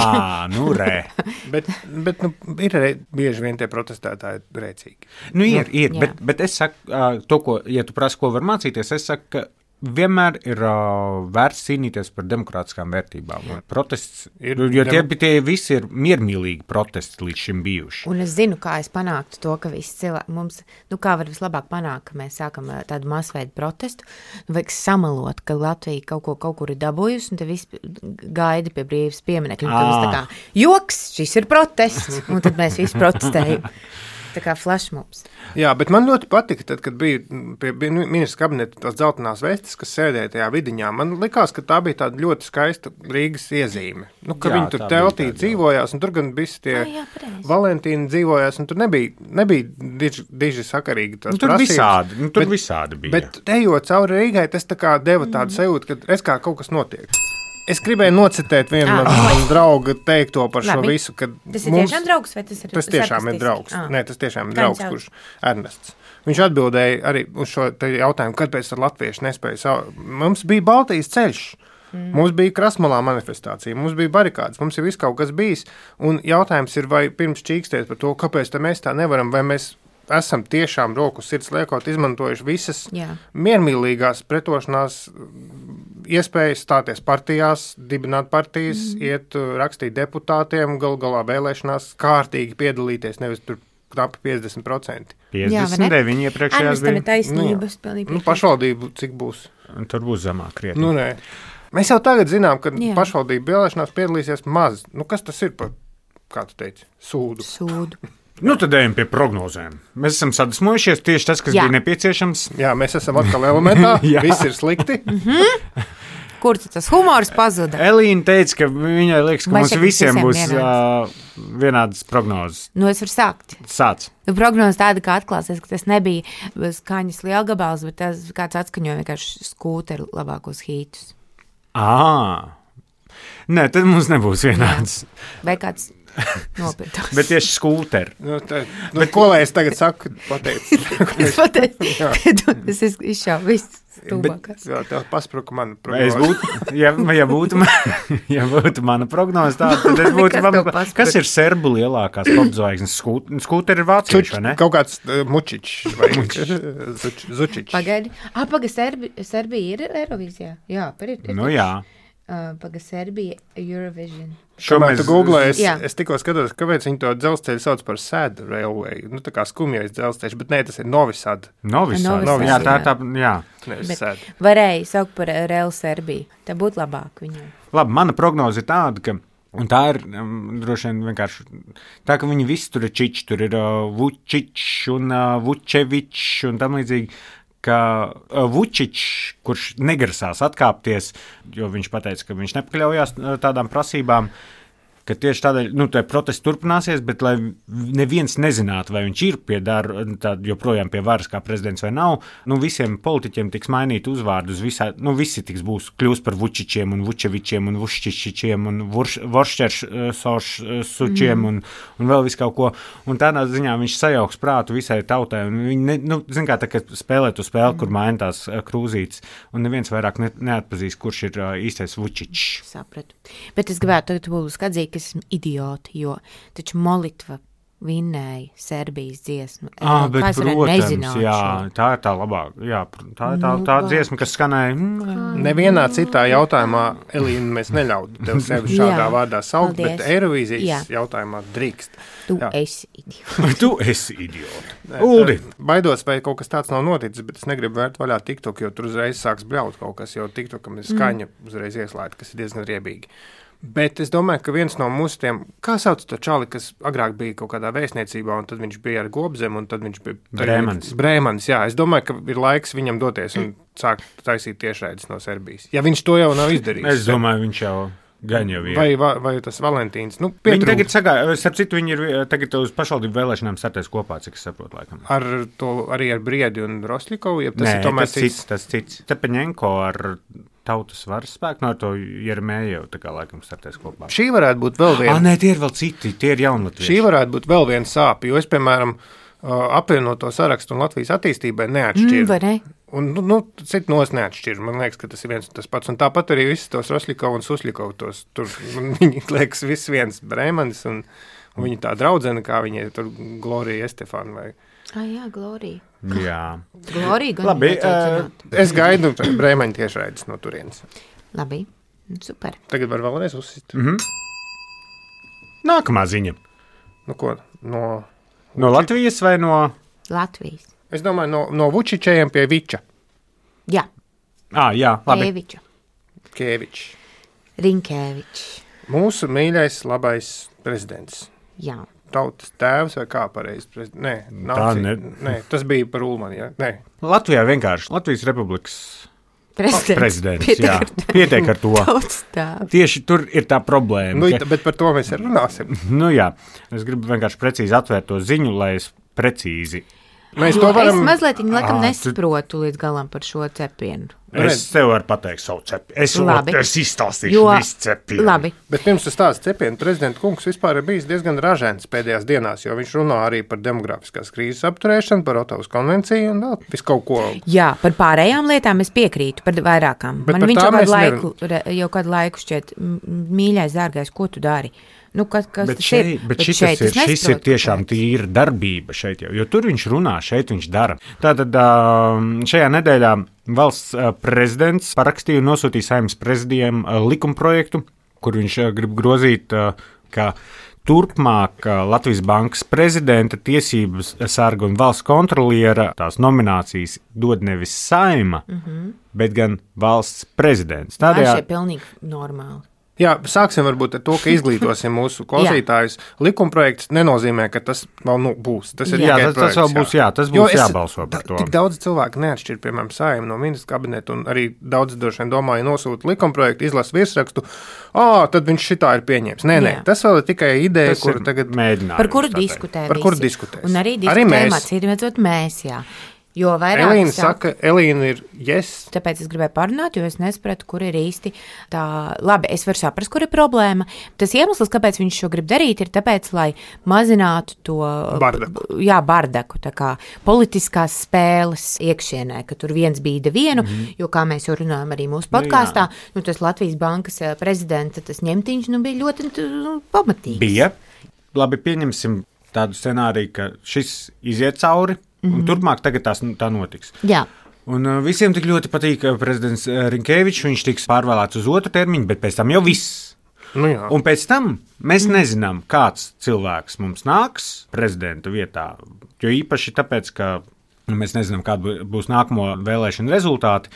Bet ir arī bieži vien tie protestētāji rēcīgi. Ir, bet es saku, ja tu prasi, ko var mācīties, es saku, ka vienmēr ir vērts cīnīties par demokrātiskām vērtībām. Protests ir, jo tie visi ir miermīlīgi protesti līdz šim bijuši. Un es zinu, kā es panāktu to, ka visi cilvēki mums, kā var vislabāk panākt, ka mēs sākam tādu masveidu protestu, vajag samalot, ka Latvija kaut kur ir dabūjusi, un te visi gaida pie brīvības pieminekļa. Un tad mēs tā kā, joks, šis ir protests, un tad mēs visi protestējam. Tā kā flashmobs. Jā, bet man ļoti patika, tad, kad bija pie ministra kabineta tās dzeltenās vestes, kas sēdēja tajā vidiņā. Man likās, ka tā bija tāda ļoti skaista Rīgas iezīme. Viņi tur teltī dzīvojās, un tur gan visi tie Valentīni dzīvojās, un tur nebija diži sakarīgi tās prasības. Tur visādi bija. Bet ejot cauri Rīgai, tas tā kā deva tādu sajūtu, ka es kā kaut kas notiek. Es gribēju nocitēt vienu no drauga teikto par šo visu. Tas ir tiešām draugs, vai tas ir? Tas tiešām ir draugs. Nē, tas tiešām ir draugs, kurš Ernests. Viņš atbildēja arī uz šo jautājumu, kāpēc latvieši nespēja. Mums bija Baltijas ceļš. Mums bija Krasmalā manifestācija, mums bija barikādas, mums ir viss kaut kas bijis. Un jautājums ir, vai pirms čīkstēt par to, kāpēc mēs tā nevaram, vai mēs esam tiešām roku sirds liekot izmantojuši visas miermīlīgās pretošanās iespējas stāties partijās, dibināt partijas, iet rakstīt deputātiem, galā vēlēšanās kārtīgi piedalīties, nevis tur knapi 50%. 59 iepriekšējās Tam ir bija. taisnības. Pašvaldību cik būs? Tur būs zemāk krietni. Nē. Mēs jau tagad zinām, ka Jā. pašvaldību vēlēšanās piedalīsies maz. Kas tas ir par, kā tu teici, sūdu? Tad ejam pie prognozēm. Mēs esam sadusmojušies tieši tas, kas Jā. bija nepieciešams. Jā, mēs esam atkal elementā, Jā. viss ir slikti. Kur tas humors pazuda? Elīna teica, ka viņai liekas, ka Vai mums šeit visiem visiem būs vienādas prognozes. Es varu sākt. Sāc. Prognoze tāda, ka atklāsies, ka tas nebija skaņas lielgabals, bet tas kāds atskaņoja vienkārši skūteru labākos hītus. Nē, tad mums nebūs vienāds. Vai kāds nopirktos. Bet tieši skūteri. Ko lai es tagad saku? Pateicu. Es pateicu, tas izšāva viss stūbākās. Jā, tev paspruka mana Es prognoze. ja būtu mana prognoze tāda, tad es būtu, Nekas tev paspruka. kas ir serbu lielākās popzvaigznes? Skūteri ir vācieši, vai ne? Kaut kāds mučičs vai zučičs. Pagaidi. Serbija ir Eirovīzijā? Jā, ir. Nu jā. Serbija Eurovision. Šo Kamēr tu googlēji, Jā. es tikko skatos, kāpēc viņi to dzelzceļu sauc par Sad Railway. Tā kā skumjais dzelzceļš, bet nē, tas ir Novi Sad. Novi Sad. Novi Jā, Sad, tā, jā. Nevis Bet Sad. varēja saukt par Real Serbiju. Tā būtu labāk viņai. Labi, mana prognoze ir tāda, ka un tā ir droši vien vienkārši tā, ka viņi visi tur ir čiči, tur ir Vučičs un Vučevičs un tam līdzīgi, ka Vučičs, kurš negrasās atkāpties, jo viņš pateica, ka viņš nepakļaujās tādām prasībām, ka tieši tādēļ, tā protesti turpināsies, bet lai neviens nezinātu, vai viņš ir joprojām pie varas kā prezidents vai nav, visiem politiķiem tiks mainīt uzvārdu uz visā, visi kļūs par Vučičiem un Vučevičiem un Vuščičičiem un Voršķersučiem un vēl visu kaut ko. Un tādā ziņā viņš sajauks prātu visai tautai. Un viņi, zin kā, tā kā spēlē tu spēli, kur maina tās krūzītes, un neviens vairāk neatpazīs, kurš ir īstais Vučičs. Sapratu. Bet es gribētu tagad publiski atzīt, ka esmu idioti, jo taču Molitva vinnēja Serbijas dziesmu. Bet, Kā es varētu protams, nezināt jā, šo? tā ir tā labāk. Jā, tā ir tā dziesma, kas skanēja. Nevienā citā jautājumā, Elīna, mēs neļautu tev sevi šādā Jā, vārdā saukt, paldies. bet Eirovīzijas Jā. jautājumā drīkst. Tu Jā. esi idioti. Tu esi idioti. Uldi. Baidos, vai kaut kas tāds nav noticis, bet es negribu vērt vaļā TikTok, jo tur uzreiz sāks bļaut kaut kas, jo TikTokam ir skaņa uzreiz ieslēgta, kas ir diezgan riebīgi. Bet es domāju, ka viens no mūsu tiem, kā sauc to čali, kas agrāk bija kaut kādā vēstniecībā, un tad viņš bija ar Gobzem, un tad viņš bija Brēmanis, jā. Es domāju, ka ir laiks viņam doties un sākt taisīt tiešraides no Serbijas. Ja viņš to jau nav izdarījis. Es domāju, viņš jau gan jau ir. Vai tas Valentīns. Viņi tagad sagāja, starp citu, viņi ir tagad uz pašvaldību vēlēšanām startēs kopā, cik es saprotu, laikam. Arī ar Briedi un Roslikovu, ja tas Nē, ir tomēr tas cits. Tepeņenko ar Tautas varas spēku, no to Jeremēju tā kā laikam startēs kopā. Šī varētu būt vēl viena. Nē, tie ir vēl citi, tie ir jaunatvieši. Šī varētu būt vēl viena sāpe, jo es, piemēram, apvienoto sarakstu un Latvijas attīstībai neatšķiru. Vai ne? Un, citu nos neatšķiru. Man liekas, ka tas ir viens un tas pats. Un tāpat arī visus tos Roslikovu un Suslikovu tos. Tur viņi liekas viss viens Brēmanis un viņa tā draudzene, kā viņai tur Glorija Estefāna vai... Jā, Glorija. Jā. Glorija gan Labi, Es gaidu Brēmaņa tiešraides no turienes. Labi, super. Tagad var vēlreiz uzsist. Nākamā ziņa. Ko? No Latvijas vai no... Latvijas. Es domāju, no Vučičējiem pie Viča. Jā, Jā, labi. Kēviča. Kēvičs. Rinkēvičs. Mūsu mīļais, labais prezidents. Jā. Tautas tēvs vai kā pareizi? Nē, tas bija par Ulmani. Ja? Nē. Latvijā vienkārši Latvijas Republikas prezidents. Jā, pietiek ar to. Tautas tēvs. Tieši tur ir tā problēma. Bet par to mēs arī runāsim. Jā, es gribu vienkārši precīzi atvērt to ziņu, lai es precīzi. Mēs to varam... Es mazliet laikam nesaprotu līdz galam par šo cepienu. Es tev varu pateikt savu cepienu. Es izstāstīšu visu cepienu. Labi. Bet pirms tas tāds cepienu, prezidenta kungs vispār ir bijis diezgan ražēns pēdējās dienās, jo viņš runā arī par demografiskās krīzes apturēšanu, par Otavas konvenciju un vēl visu kaut ko. Jā, par pārējām lietām es piekrītu, par vairākām. Bet Man par viņš jau kādu laiku šķiet, mīļais, dārgais, ko tu dari? Kas šis ir tiešām tīra darbība šeit jau, jo tur viņš runā, šeit viņš dara. Tātad šajā nedēļā valsts prezidents parakstīja un nosūtīja Saeimas prezidijam likumprojektu, kur viņš grib grozīt, ka turpmāk Latvijas Bankas prezidenta, tiesības sarga un valsts kontroliera tās nominācijas dod nevis Saeima, bet gan valsts prezidents. Tādējādi ir pilnīgi normāli. Jā, sāksim varbūt ar to, ka izglītosim mūsu klausītājus. Likumprojekts nenozīmē, ka tas vēl būs. Tas ir tikai projekts. Tas vēl būs, tas būs jābalso par to. Tik daudz cilvēku neatšķir, piemēram, Saeimu no ministra kabineta, un arī daudz droši vien domāja nosūta likumprojektu, izlasa virsrakstu, tad viņš šitā ir pieņēmis. Nē, tas vēl ir tikai ideja, kuru tagad mēģinājums. Par kuru diskutē visi. Par kuru diskutēs. Un arī diskutējam atcīmredzot mēs, jā. Jo vairāk Elīna saka, Elīna ir yes. Tāpēc es gribēju parunāt, jo es nesapratu, kur ir īsti tā. Labi, es varu saprast, kur ir problēma. Tas iemesls, kāpēc viņš šo grib darīt, ir tāpēc, lai mazinātu to bardaku, tā kā politiskās spēles iekšienē, ka tur viens bīda vienu, jo, kā mēs jau runājam arī mūsu podkāstā, tas Latvijas Bankas prezidenta, tas ņemtiņš, bija ļoti pamatīgs. Bija. Labi, pieņemsim tādu scenāriju, ka šis iziet cauri. Un turpmāk tagad tā notiks. Jā. Un visiem tik ļoti patīk prezidents Rinkevičs, viņš tiks pārvēlēts uz otru termiņu, bet pēc tam jau viss. Un pēc tam mēs nezinām, kāds cilvēks mums nāks prezidenta vietā, jo īpaši tāpēc, ka mēs nezinām, kāda būs nākamo vēlēšanu rezultāti.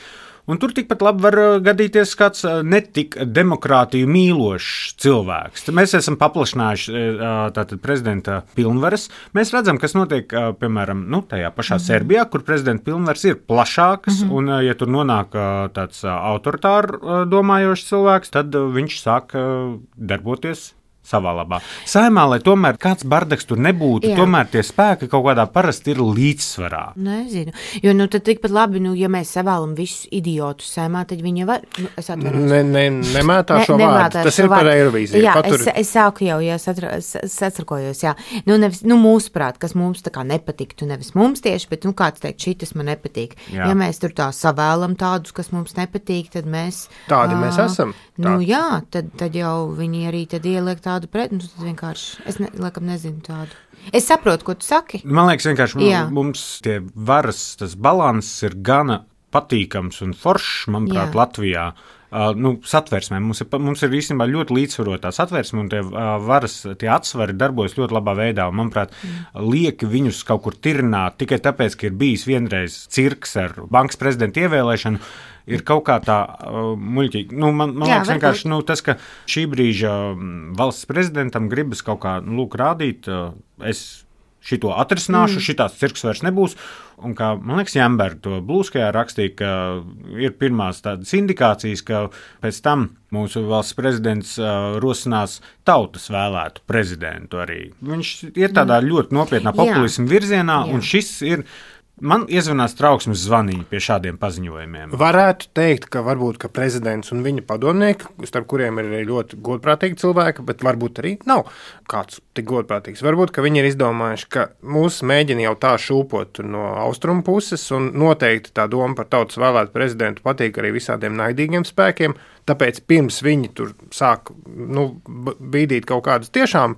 Un tur tikpat labi var gadīties kāds netik demokrātiju mīlošs cilvēks. Mēs esam paplašinājuši tātad prezidenta pilnvaras. Mēs redzam, kas notiek, piemēram, tajā pašā Serbijā, kur prezidenta pilnvaras ir plašākas, un ja tur nonāk tāds autoritāri domājošs cilvēks, tad viņš sāk darboties savā labā. Saimā, lai tomēr kāds bardaks tur nebūtu, tomēr tie spēki kaut kādā parasti ir līdzsvarā. Nezinu, jo tad tikpat labi, ja mēs savēlam visus idiotus saimā, tad viņi var, es atveros. Nemētā šo vārdu, tas ir par Eirovīziju. Jā, es sāku jau, satrukojos, nevis, mūsuprāt, kas mums tā kā nepatiktu, nevis mums tieši, bet, kāds teikt, šitas man nepatīk. Ja mēs tur tā savēlam tādus, kas mums nepatīk, tad mēs... Tādi mēs esam. Tad jau viņi arī tad ieliek tādu pret, tad vienkārši, laikam nezinu tādu. Es saprotu, ko tu saki. Man liekas, vienkārši mums tie varas, tas balanss ir gana patīkams un foršs, manuprāt, Latvijā. Satversmē. Mums ir īstenībā ļoti līdzsvarotā satversme, un tie varas, tie atsvari darbojas ļoti labā veidā, un, manuprāt, lieki viņus kaut kur tirināt tikai tāpēc, ka ir bijis vienreiz cirks ar bankas prezidenta ievēlēšanu, ir kaut kā tā muļķīgi. Man liekas vienkārši tas, ka šī brīža valsts prezidentam gribas kaut kā rādīt, es šito atrisināšu, šitās cirks vairs nebūs. Un kā, man liekas, Jamberga to Blūskajā rakstīja, ka ir pirmās tādas indikācijas, ka pēc tam mūsu valsts prezidents rosinās tautas vēlētu prezidentu arī. Viņš ir tādā ļoti nopietnā populismu virzienā, un šis ir... Man iezvanās trauksmes zvaniņi pie šādiem paziņojumiem. Varētu teikt, ka varbūt ka prezidents un viņa padomnieki, starp kuriem ir arī ļoti godprātīgi cilvēki, bet varbūt arī nav kāds tik godprātīgs. Varbūt, ka viņi ir izdomājuši, ka mūs mēģina jau tā šūpot no austrumu puses, un noteikti tā doma par tautas vēlētu prezidentu patīk arī visādiem naidīgiem spēkiem, tāpēc pirms viņi tur sāk bīdīt kaut kādus tiešām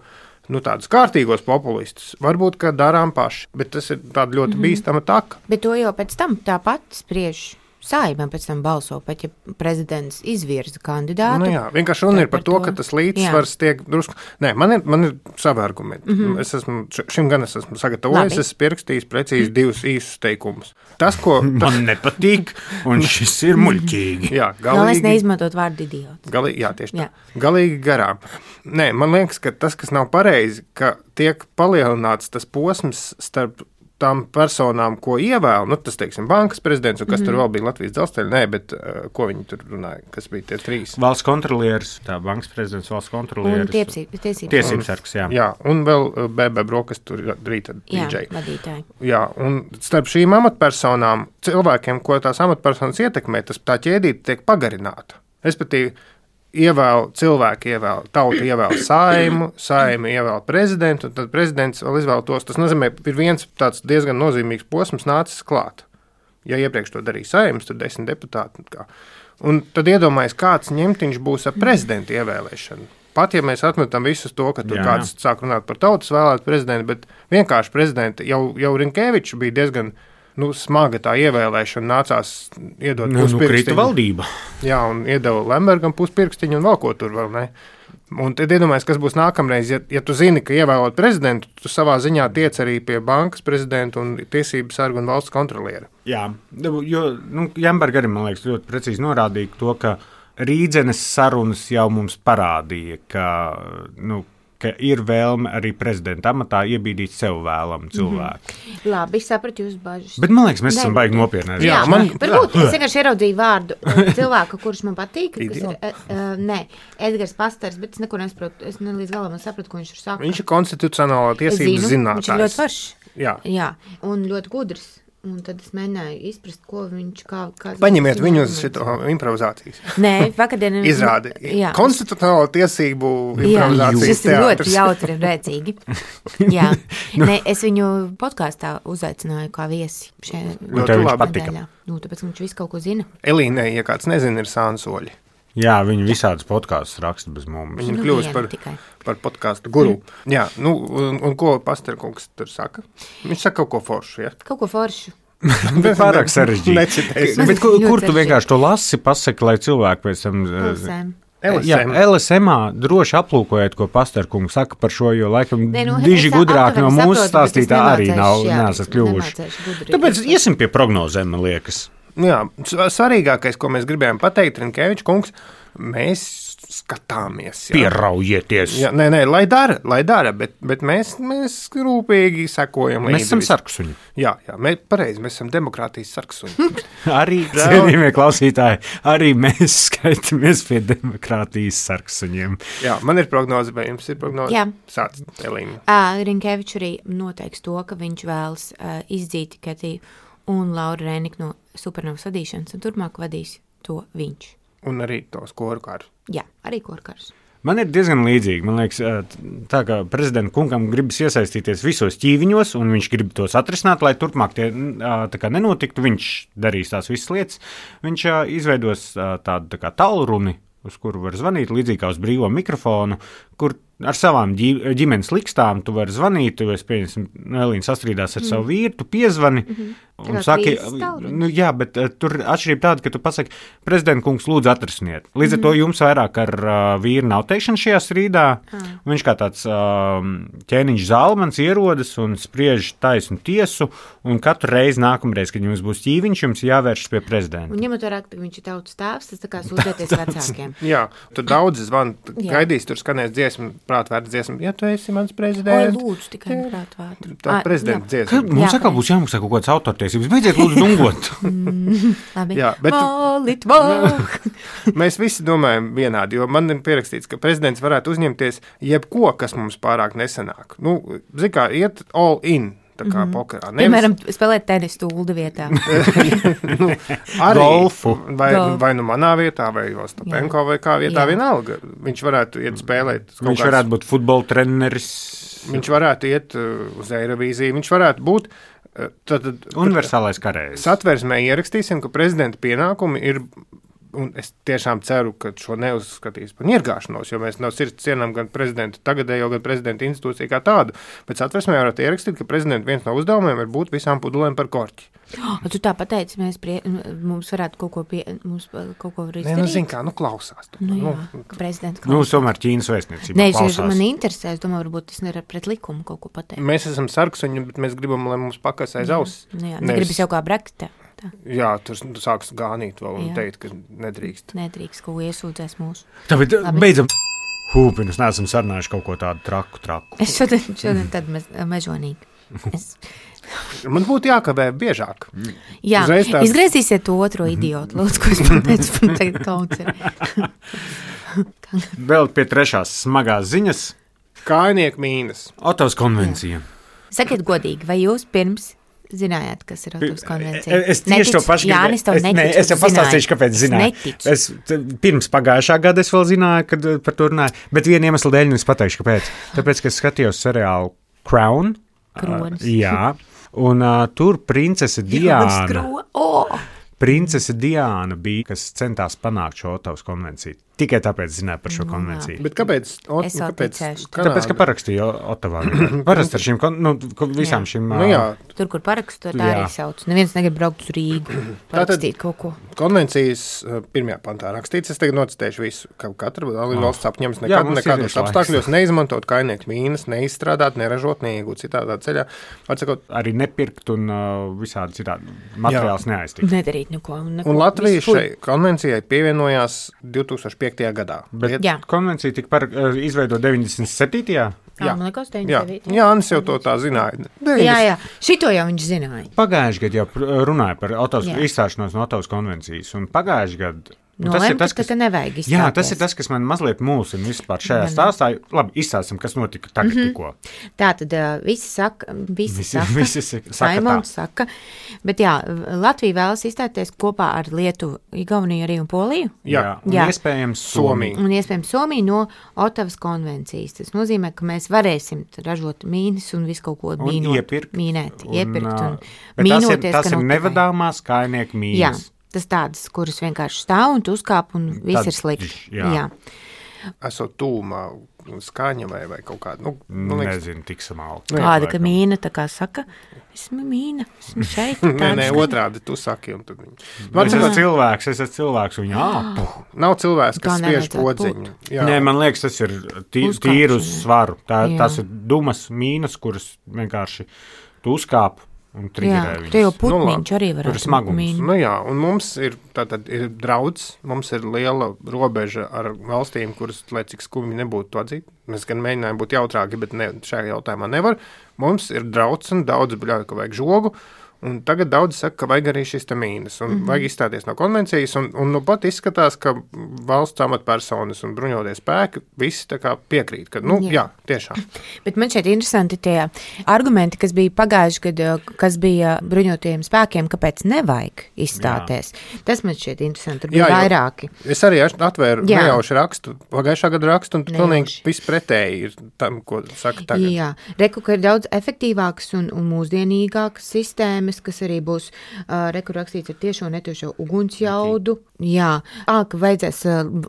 tādus kārtīgos populistus, varbūt, ka darām paši, bet tas ir tāda ļoti bīstama taka. Bet to jau pēc tam tāpat spriež Saeima, pēc tam balso, pat ja prezidents izvirza kandidātu. Vienkārši runa ir par to, ka tas līdzsvars tiek drusku... Nē, man ir savi argumenti. Šim gan es esmu sagatavojis, es pierakstījis precīzi 2 īsus teikumus. Tas, ko... Man nepatīk, un šis ir muļķīgi. Galīgi neizmantot vārdu idiots. Tieši tā. Galīgi garām. Nē, man liekas, ka tas, kas nav pareizi, ka tiek palielināts tas posms starp tām personām, ko ievēl, tas, teiksim, bankas prezidents, un kas tur vēl bija Latvijas dzelzceļa, ko viņi tur runāja, kas bija tie 3. Valsts kontrolieris, tā bankas prezidents, valsts kontrolieris. Un tiesības sargs, jā. Un vēl BB Brokas tur rīta DJ. Vadītāji. Jā, un starp šīm amatpersonām, cilvēkiem, ko tās amatpersonas ietekmē, tā ķēdīte tiek pagarināta. Respektīvi, cilvēki ievēl, tauta ievēl Saeimu, Saeima ievēl prezidentu, un tad prezidents vēl izvēl tos. Tas nozīmē, ir viens tāds diezgan nozīmīgs posms nācis klāt. Ja iepriekš to darīja Saeimas, tur 10 deputāti. Un tad iedomājies, kāds ņemtiņš būs ar prezidenta ievēlēšanu. Pat ja mēs atmetam visus to, ka tur kāds sāk runāt par tautas vēlētu prezidentu, bet vienkārši prezidenta jau Rinkevičs bija diezgan smaga tā ievēlēšana, nācās iedot puspirkstiņu. Krita valdība. Jā, un iedeva Lembergam puspirkstiņu un vēl ko tur vēl, ne? Un tad iedomājies, kas būs nākamreiz, ja tu zini, ka ievēlot prezidentu, tu savā ziņā tiec arī pie bankas prezidenta un tiesību sarga un valsts kontroliera. Jā, jo Jamberga arī, man liekas, ļoti precīzi norādīja to, ka Rīdzenes sarunas jau mums parādīja, ka ir vēlme arī prezidenta amatā iebīdīt sev vēlamu cilvēku. Labi, sapratu jūsu bažas. Bet man liekas, mēs esam baigi nopietni. Jā, varbūt es vienkārši ieraudzīju vārdu cilvēku, kurš man patīk. Edgars Pastars, bet es neko nesaprotu. Es ne līdz galam sapratu, ko viņš ir saka. Viņš ir konstitucionālā tiesības zinātājs. Viņš ir ļoti foršs. Jā, un ļoti gudrs. Un tad es mēģināju izprast, ko viņš kā paņemiet viņu uz šito improvizācijas. Nē, vakardien izrādi. Konstitucionālo tiesību improvizācijas teātris. Tas ir ļoti jautri un rēcīgi. Jā. Nē, es viņu podkāstā uzaicināju kā viesi. Ļoti labi. Patika. Tāpēc viņš visu kaut ko zina. Elīnei, ja kāds nezina, ir Sānsoļi. Jā, viņi visādus podkāstus raksta bez mums. Viņi kļūst par podkāstu guru. Jā, un ko Pasterkungs tur saka? Viņš saka kaut ko foršu, ja? Kaut ko foršu. Pārāk sarežģīti. Bet kur tu vienkārši to lasi, pasaki, lai cilvēki pēc tam... LSM droši aplūkojiet, ko Pasterkungs saka par šo, jo laikam diži gudrāk no mūsu stāstītā arī nesat kļuvuši. Tāpēc iesim pie prognozēm, man liekas. Jā, svarīgākais, ko mēs gribējām pateikt, Rinkevičs kungs, mēs skatāmies. Jā. Pieraujieties. Jā, nē, lai dara, bet mēs rūpīgi sekojam līdzi. Mēs esam sarksuņi. Jā, mēs esam demokrātijas sarksuņi. Arī, cienījamie klausītāji, arī mēs skaitamies pie demokrātijas sarksuņiem. Jā, man ir prognoze, vai jums ir prognoze? Jā. Sāc, Elīna. Rinkevičs arī noteiks to, ka viņš vēlas izdzīt Ketiju un Laura Rēniku no Supernovas vadīšanas, un turpmāk vadīs to viņš. Un arī tos korkarus. Jā, arī korkarus. Man ir diezgan līdzīgi. Man liekas, tā kā prezidenta kungam gribas iesaistīties visos ķīviņos, un viņš grib tos atrisināt, lai turpmāk tie tā kā nenotiktu. Viņš darīs tās visas lietas. Viņš izveidos tādu tā kā tālruni, uz kuru var zvanīt, līdzīgi kā uz brīvo mikrofonu, kur ar savām ģimenes likstām tu vari zvanīt, tu esi pieņemsim, Elīna sastrīdās ar savu vīru, tu piezvani un saki, jā, bet tur atšķirība tāda, ka tu pasaki, prezidenta kungs lūdzu atrisiniet. Līdz ar to jums vairāk ar vīru nav teikšana šajā strīdā, un viņš kā tāds ķēniņš zalmans ierodas un spriež taisnu tiesu, un katru reizi nākamreiz, kad jums būs ķīviņš, jums jāvēršas pie prezidenta. Un ņemot vērā, ka viņš ir tautas tēvs, tas tā kā sūdzēties vecākiem. Jā, tur daudzi zvan, gaidīs, tur skanēs dziesmu, prātvērta dziesma, ja tu esi mans prezidents. Oi, lūdzu, tikai prātvērta. Tā prezidenta dziesma. Mums atkal būs jāmaksā kaut kāds autortiesības. Beidziet lūdzu dungot. Labi. Jā, bet mēs visi domājam vienādi, jo man ir pierakstīts, ka prezidents varētu uzņemties jebko, kas mums pārāk nesanāk. Zin kā, iet all in. Tā kā pokerā. Piemēram, spēlēt tenisu stulda vietā. Arī golfu. Vai manā vietā, vai Ostapenko, vai kā vietā vienalga. Viņš varētu iet spēlēt. Viņš varētu būt futbola treneris. Viņš varētu iet uz Eirovīziju. Viņš varētu būt universālais karējs. Satversmē ierakstīsim, ka prezidenta pienākumi ir. Un es tiešām ceru, ka šo neuzskatīs par ņirgāšanos, jo mēs no sirds cienām gan prezidenta tagadējo, gan prezidenta institūciju kā tādu. Bet satversmē varētu ierakstīt, ka prezidenta viens no uzdevumiem ir būt visām pudulēm par korķi. Tu tā pateici, mums varētu kaut ko izdarīt. Zin kā, klausās. Prezidents klausās. Tomēr Ķīnas vēstniecība klausās. Man interesē, es domāju, varbūt tas ir pret likumu kaut ko pateikt. Mēs esam sarksuņi, bet mēs gribam, lai mums pakas aiz auss. Negribas jau kā Brexitā. Jā, tur sāks gānīt vēl un teikt, ka nedrīkst. Nedrīkst, ko iesūdzēs mūsu. Tāpēc beidzam hūpinus, neesam sarunājuši kaut ko tādu traku. Es šodien tad mežonīgi. Man būtu jākavē biežāk. Jā, izgriezīsiet to otro idiotu, lūdzu, ko es pateicu, man tagad kauns ir. Vēl pie trešās smagās ziņas. Kājnieku mīnas. Otavas konvencija. Sakiet godīgi, vai jūs pirms zinājāt, kas ir Otavas konvencija? Es tieši to pašu Jānis, tev neticu. Es jau pastāstīšu, kāpēc zināju. Pirms pagājušā gada es vēl zināju, kad par to runāju, bet vienu iemeslu dēļ es pateikšu, kāpēc. Tāpēc, ka es skatījos seriālu Crown. Kronis. Jā, un tur princese Diāna. Princese Diāna bija, kas centās panākt šo Otavas konvenciju. tikai tāpēc zināju par šo konvenciju. Bet kāpēc? Tāpēc, ka parakstīju Otavā. Parasti ar šīm, visām šīm... Tur, kur parakstu, tā arī sauc. Neviens negrib braukt uz Rīgu, parakstīt kaut ko. Konvencijas pirmajā pantā rakstīts, es tagad nocitēšu visu, ka katra valsts apņems nekādos apstākļos neizmantot kainieku mīnas, neizstrādāt, neražot, neiegūt citādā ceļā. Atsakot, arī nepirkt un visādi citādi materiāls neaiztikt. Nedarīt neko. Un Latvija šai konvencijai pievienojās 2005. gadā. Bet konvencija tika izveidota 97. Jā, man liekas, 99. Jā, Annis jau to tā zināja. Jā, šito jau viņš zināja. Pagājuši gadu jau runāja par izstāšanos no Otavas konvencijas, un pagājuši gadu tas, ka nevajag izstāties. Jā, tas ir tas, kas man mazliet mulsina vispār šajā stāstā. Labi, izstāstam, kas notika tagad tikko. Tā tad visi saka, Saimons saka, bet jā, Latvija vēlas izstāties kopā ar Lietuvu, Igauniju arī un Poliju. Jā. Un iespējams Somiju. Un iespējams Somiju no Otavas konvencijas. Tas nozīmē, ka mēs varēsim ražot mīnas un visu kaut ko mīnēt, iepirkt un mīnoties. Tas ir nevadāmās kainieku mīnas. Jā. Tas tādas, kuras vienkārši stāv un tu uzkāp un viss ir slikti. Jā. Esot tūmā skaņa vai kaut kāda. Nezinu, tik samalti. Kāda, ka mīna tā kā saka, esmu mīna, esmu šeit. Nē, otrādi tu saki. Un tad es esmu cilvēks un nav cilvēks, kas spiež podziņu. Nē, man liekas, tas ir tīru uz svaru. Tas ir dumas mīnas, kuras vienkārši tu uzkāp. Jā, tur jau putniņš arī var būt mīna. Un mums ir draudz, mums ir liela robeža ar valstīm, kuras, lai cik skumji nebūtu to atzīt, mēs gan mēģinājām būt jautrāki, bet šajā jautājumā nevar. Mums ir draudz un daudz bļauj, ka vajag žogu, un tagad daudz saka, ka vajag arī šis te mīnas, un vajag izstāties no konvencijas, un nu pat izskatās, ka valsts amatpersonas un bruņotie spēki visi tā kā piekrīt, ka, jā, tiešām. Bet man šeit interesanti tie argumenti, kas bija pagājuši, kas bija bruņotajiem spēkiem, kāpēc nevajag izstāties. Jā. Tas man šeit interesanti, tur bija vairāki. Es arī atvēru nejauši rakstu, pagājušā gada rakstu, un pilnīgi viss pretēji ir tam, ko saka tagad. Jā, reku, ka ir daudz efektīvākas un mūsdienīgākas sistēmas, kas arī būs rakstīts ar tiešo un netiešo ugunsjaudu. Jā, ka vajadzēs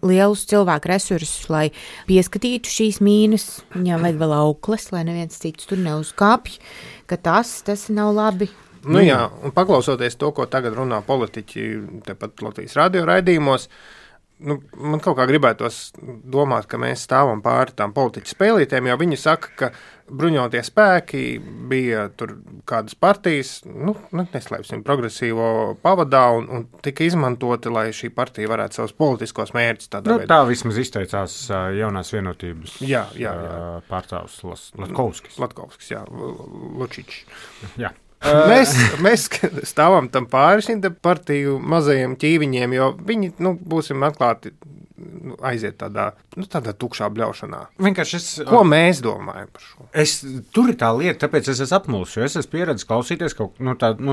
lielus cilvēku resursus, lai pieskatītu šīs mīnas. Viņām vajag vēl aukles, lai neviens cits tur neuzkāpj, ka tas nav labi. Jā, un paklausoties to, ko tagad runā politiķi tepat Latvijas radio raidījumos, man kaut kā gribētos domāt, ka mēs stāvam pāri tām politiķu spēlītēm, jo viņi saka, ka bruņotie spēki bija tur kādas partijas, neslēpsim, progresīvo pavadā un tika izmantoti, lai šī partija varētu savus politiskos mērķus tādā veidā. Tā vismaz izteicās jaunās vienotības pārstāvs Latkovskis, Lučičs. Jā. Mēs stāvam tam pāri šīm partiju mazajiem ķīviņiem, jo viņi, būsim atklāti, aiziet tādā tukšā bļaušanā. Ko mēs domājam par šo? Tur ir tā lieta, tāpēc es esmu apmulsis, jo es esmu pieredzis klausīties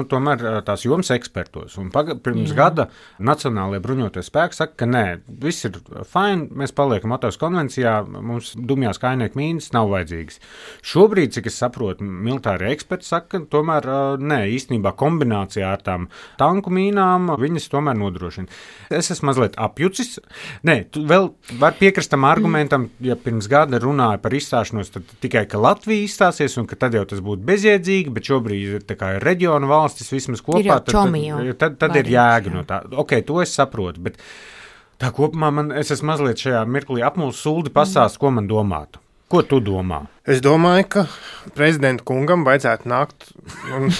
tomēr tās jomas ekspertos. Un pirms gada Nacionālajie bruņotie spēki saka, ka nē, viss ir fine, mēs paliekam Otavas konvencijā, mums dumjās kainieku mīnas nav vajadzīgas. Šobrīd, cik es saprotu, militārie eksperti saka, ka tomēr nē, īstenībā kombinācijā ar tām tanku mīnām viņas tomēr nodrošina. Es esmu mazliet apjucis. Nē, tu vēl var piekrist tam argumentam, ja pirms gada runāja par izstāšanos, tad tikai, ka Latvija izstāsies un ka tad jau tas būtu bezjēdzīgi, bet šobrīd tā kā ir reģiona valstis vismaz kopā, tad ir jēga no tā. Ok, to es saprotu, bet tā kopumā es esmu mazliet šajā mirklī apmulsis. Suldi pastāst, ko man domātu. Ko tu domā? Es domāju, ka prezidenta kungam vajadzētu nākt un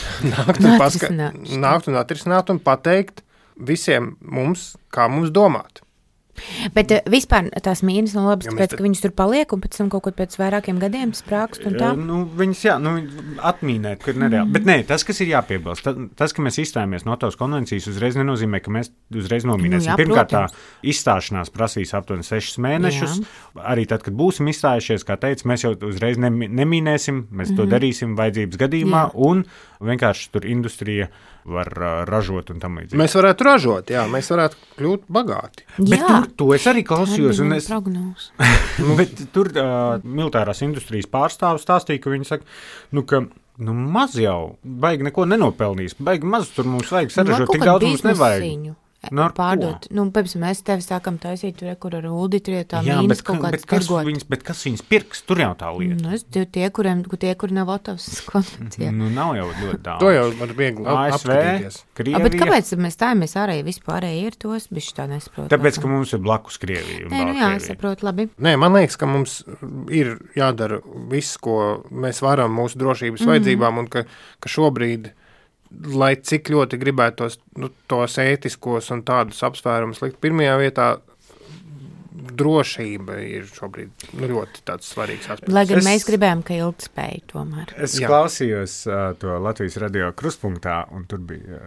atrisināt un pateikt visiem mums, kā mums domāt. Bet vispār tās mīnas nav labas, tāpēc, ka viņas tur paliek un pēc tam kaut ko pēc vairākiem gadiem sprākst un tā? Viņas, atmīnēt, ka ir nereāli. Bet nē, tas, kas ir jāpiebilst, tas, ka mēs izstājāmies no Otavas konvencijas, uzreiz nenozīmē, ka mēs uzreiz nomīnēsim. Pirmkārt, tā izstāšanās prasīs aptuveni 6 mēnešus. Jā. Arī tad, kad būsim izstājušies, kā teicu, mēs jau uzreiz nemīnēsim, mēs to darīsim vajadzības gadījumā, un vienkārši tur industrija var ražot un tam līdzīgi. Mēs varētu ražot, mēs varētu kļūt bagāti. Bet to es arī klausījos. Bet tur militārās industrijas pārstāvis stāstīja, ka viņi saka, ka maz jau, baigi neko nenopelnīs, baigi maz tur mums vajag saražot, tik daudz mums nevajag. pārdot. Piemēram, mēs tevi sākam taisīt, kur ar Uldi tur tā mīnas kaut kādas tirgot. Bet kas viņas pirks? Tur jau tā lieta. Tie, kuri nav Otavas konvencijā. Nav jau ļoti daudz. To jau var viegli apskatīties. Krievija. Bet kāpēc mēs stājamies ārēji vispārēji ir tos, bišķi tā nesaprot? Tāpēc, ka mums ir blakus Krievija un Baltkrievija. Jā, es saprotu labi. Nē, man liekas, ka mums ir jādara viss, ko mēs varam mūsu drošības vajadzībām, un ka šobrīd, lai cik ļoti gribētos tos ētiskos un tādus apsvērumus likt pirmajā vietā, drošība ir šobrīd ļoti tāds svarīgs aspekts. Lai gan mēs gribējām, ka ilgtspēja tomēr. Es klausījos to Latvijas radio Kruspunktā, un tur bija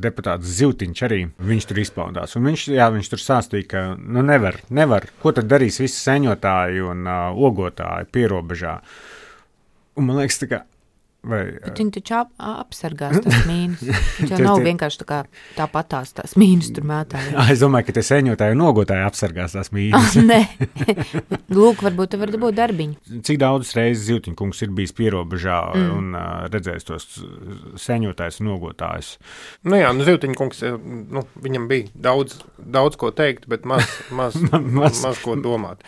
deputāts Zivtiņš arī. Viņš tur izpaudās. Un viņš tur stāstīja, ka nevar. Ko tad darīs visi seņotāji un ogotāji pierobežā? Un man liekas, tā kā Bet viņi taču apsargās tās mīnas. Viņš jau nav vienkārši tāpatās tās mīnas tur mētāji. Es domāju, ka te seņotāji un nogotāji apsargās tās mīnas. Nē. Lūk, varbūt te var dabūt darbiņu. Cik daudz reizes Zivtiņkungs ir bijis pierobežā un redzējis tos seņotājus un nogotājus? Zivtiņkungs, viņam bija daudz ko teikt, bet maz ko domāt.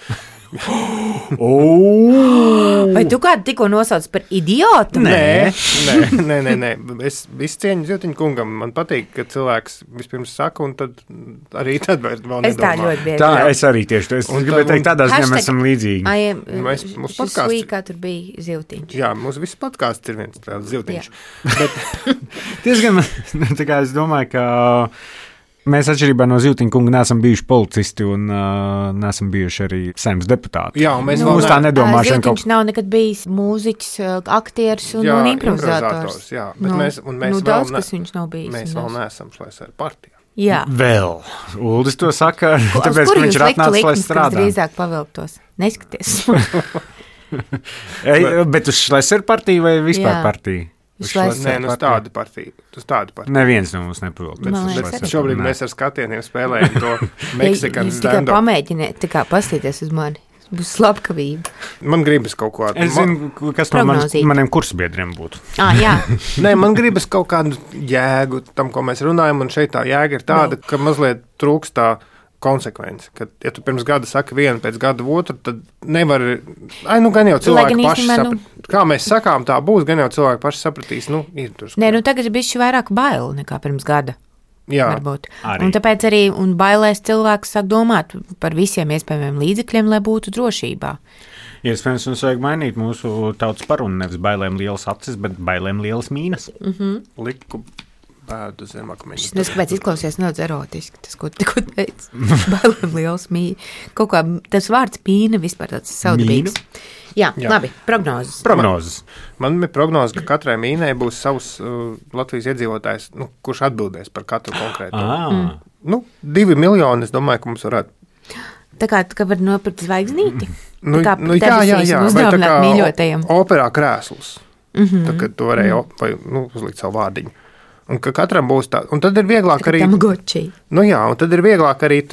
Vai tu kādu tikko nosauc par idiotu? Nē. Es visu cieņu Zivtiņkungam. Man patīk, ka cilvēks vispirms saka, un tad arī tad vēl nedomā. Es tā ļoti bieži. Tā, es arī tieši. Es gribēju teikt, tādā ziņā mēs esam līdzīgi. Mūsu podkāsts. Kā tur bija Zivtiņš. Jā, mūsu viss podkāsts ir viens tāds Zivtiņš. Diezgan, tā kā es domāju, ka mēs atšķirībā no Zivtiņkunga neesam bijuši policisti un neesam bijuši arī Saeimas deputāti. Jā, mēs tā nedomāšana. Zivtiņš nav nekad bijis mūziķis, aktieris un improvizators. Jā, bet mēs daudz, kas viņš nav bijis. Mēs vēl neesam Šlēsera partijā. Jā. Vēl. Uldis to saka, tāpēc, ka viņš ir atnācis, lai strādā. Drīzāk pavilktos. Neskaties. Bet uz Šlēsera partiju vai vispār partiju? Nē, uz tādu partiju. Neviens no mums nepavilk. Šobrīd mēs ar skatieniem spēlējam to Meksikan stand-up. Tikai pamēģiniet, pastīties uz mani. Būs slavkavība. Man gribas kaut ko Es zinu, kas no maniem kursbiedriem būtu. Jā. Nē, man gribas kaut kādu jēgu tam, ko mēs runājam, un šeit tā jēga ir tāda, ka mazliet trūkst tā konsekvence, ka, ja tu pirms gada saki vienu, pēc gada otru, tad nevar, gan jau cilvēki paši sapratīs. Kā mēs sakām, tā būs, gan jau cilvēki paši sapratīs, ir tur. Nē, tagad ir bišķi vairāk baili nekā pirms gada. Jā, varbūt. Un tāpēc arī bailēs cilvēks sāk domāt par visiem iespējamiem līdzekļiem, lai būtu drošībā. Iespējams, mums vajag mainīt mūsu tautas parunu, nevis bailēm lielas acis, bet bailēm lielas mīnas. Liku pēdu zem akmeņa. Es nezinu, kāpēc izklausies nedaudz erotiski, tas, ko tikko teicu. Bailēm liels mīna. Kaut kā tas vārds mīna vispār tāds saudabīgs. Jā, labi, prognozes. Man ir prognoze, ka katrai mīnai būs savs Latvijas iedzīvotājs, kurš atbildēs par katru konkrēto. 2 miljoni, es domāju, ka mums varētu. Tā kā var nopirkt zvaigznīti? Jā. Vai tā kā operā krēsls. Tā, kad tu varēji uzlikt savu vārdiņu. Un ka katram būs tā, un tad ir vieglāk arī. Un tad ir vieglāk arī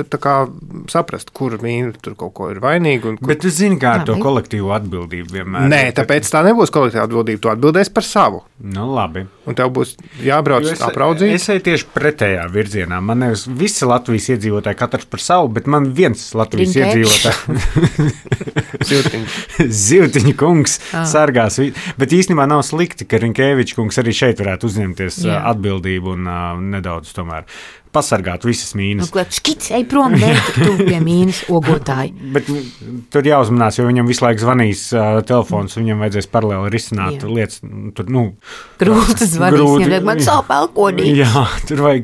saprast, kur mīna tur kaut ko ir vainīga. Bet tu zini, kā ar to kolektīvu atbildību vienmēr. Nē, tāpēc tā nebūs kolektīva atbildība. Tu atbildēsi par savu. Labi. Un tev būs jābrauc apraudzīt. Es eju tieši pretējā virzienā. Man nevis visi Latvijas iedzīvotāji katrs par savu, bet man viens Latvijas iedzīvotāji. Zivtiņa kungs sargās. Bet īstenībā nav slikti, ka Rinkēviča kungs arī šeit varētu uzņemties atbildību un nedaudz tomēr pasargāt visas mīnas. Škits, ej prom, tu pie mīnas ogotāji. Bet tur jāuzmanās, jo viņam visu laiku zvanīs telefons, viņam vajadzēs paralēli risināt lietas. Grūti zvanīs, viņam man savu pelkonī. Jā, tur vajag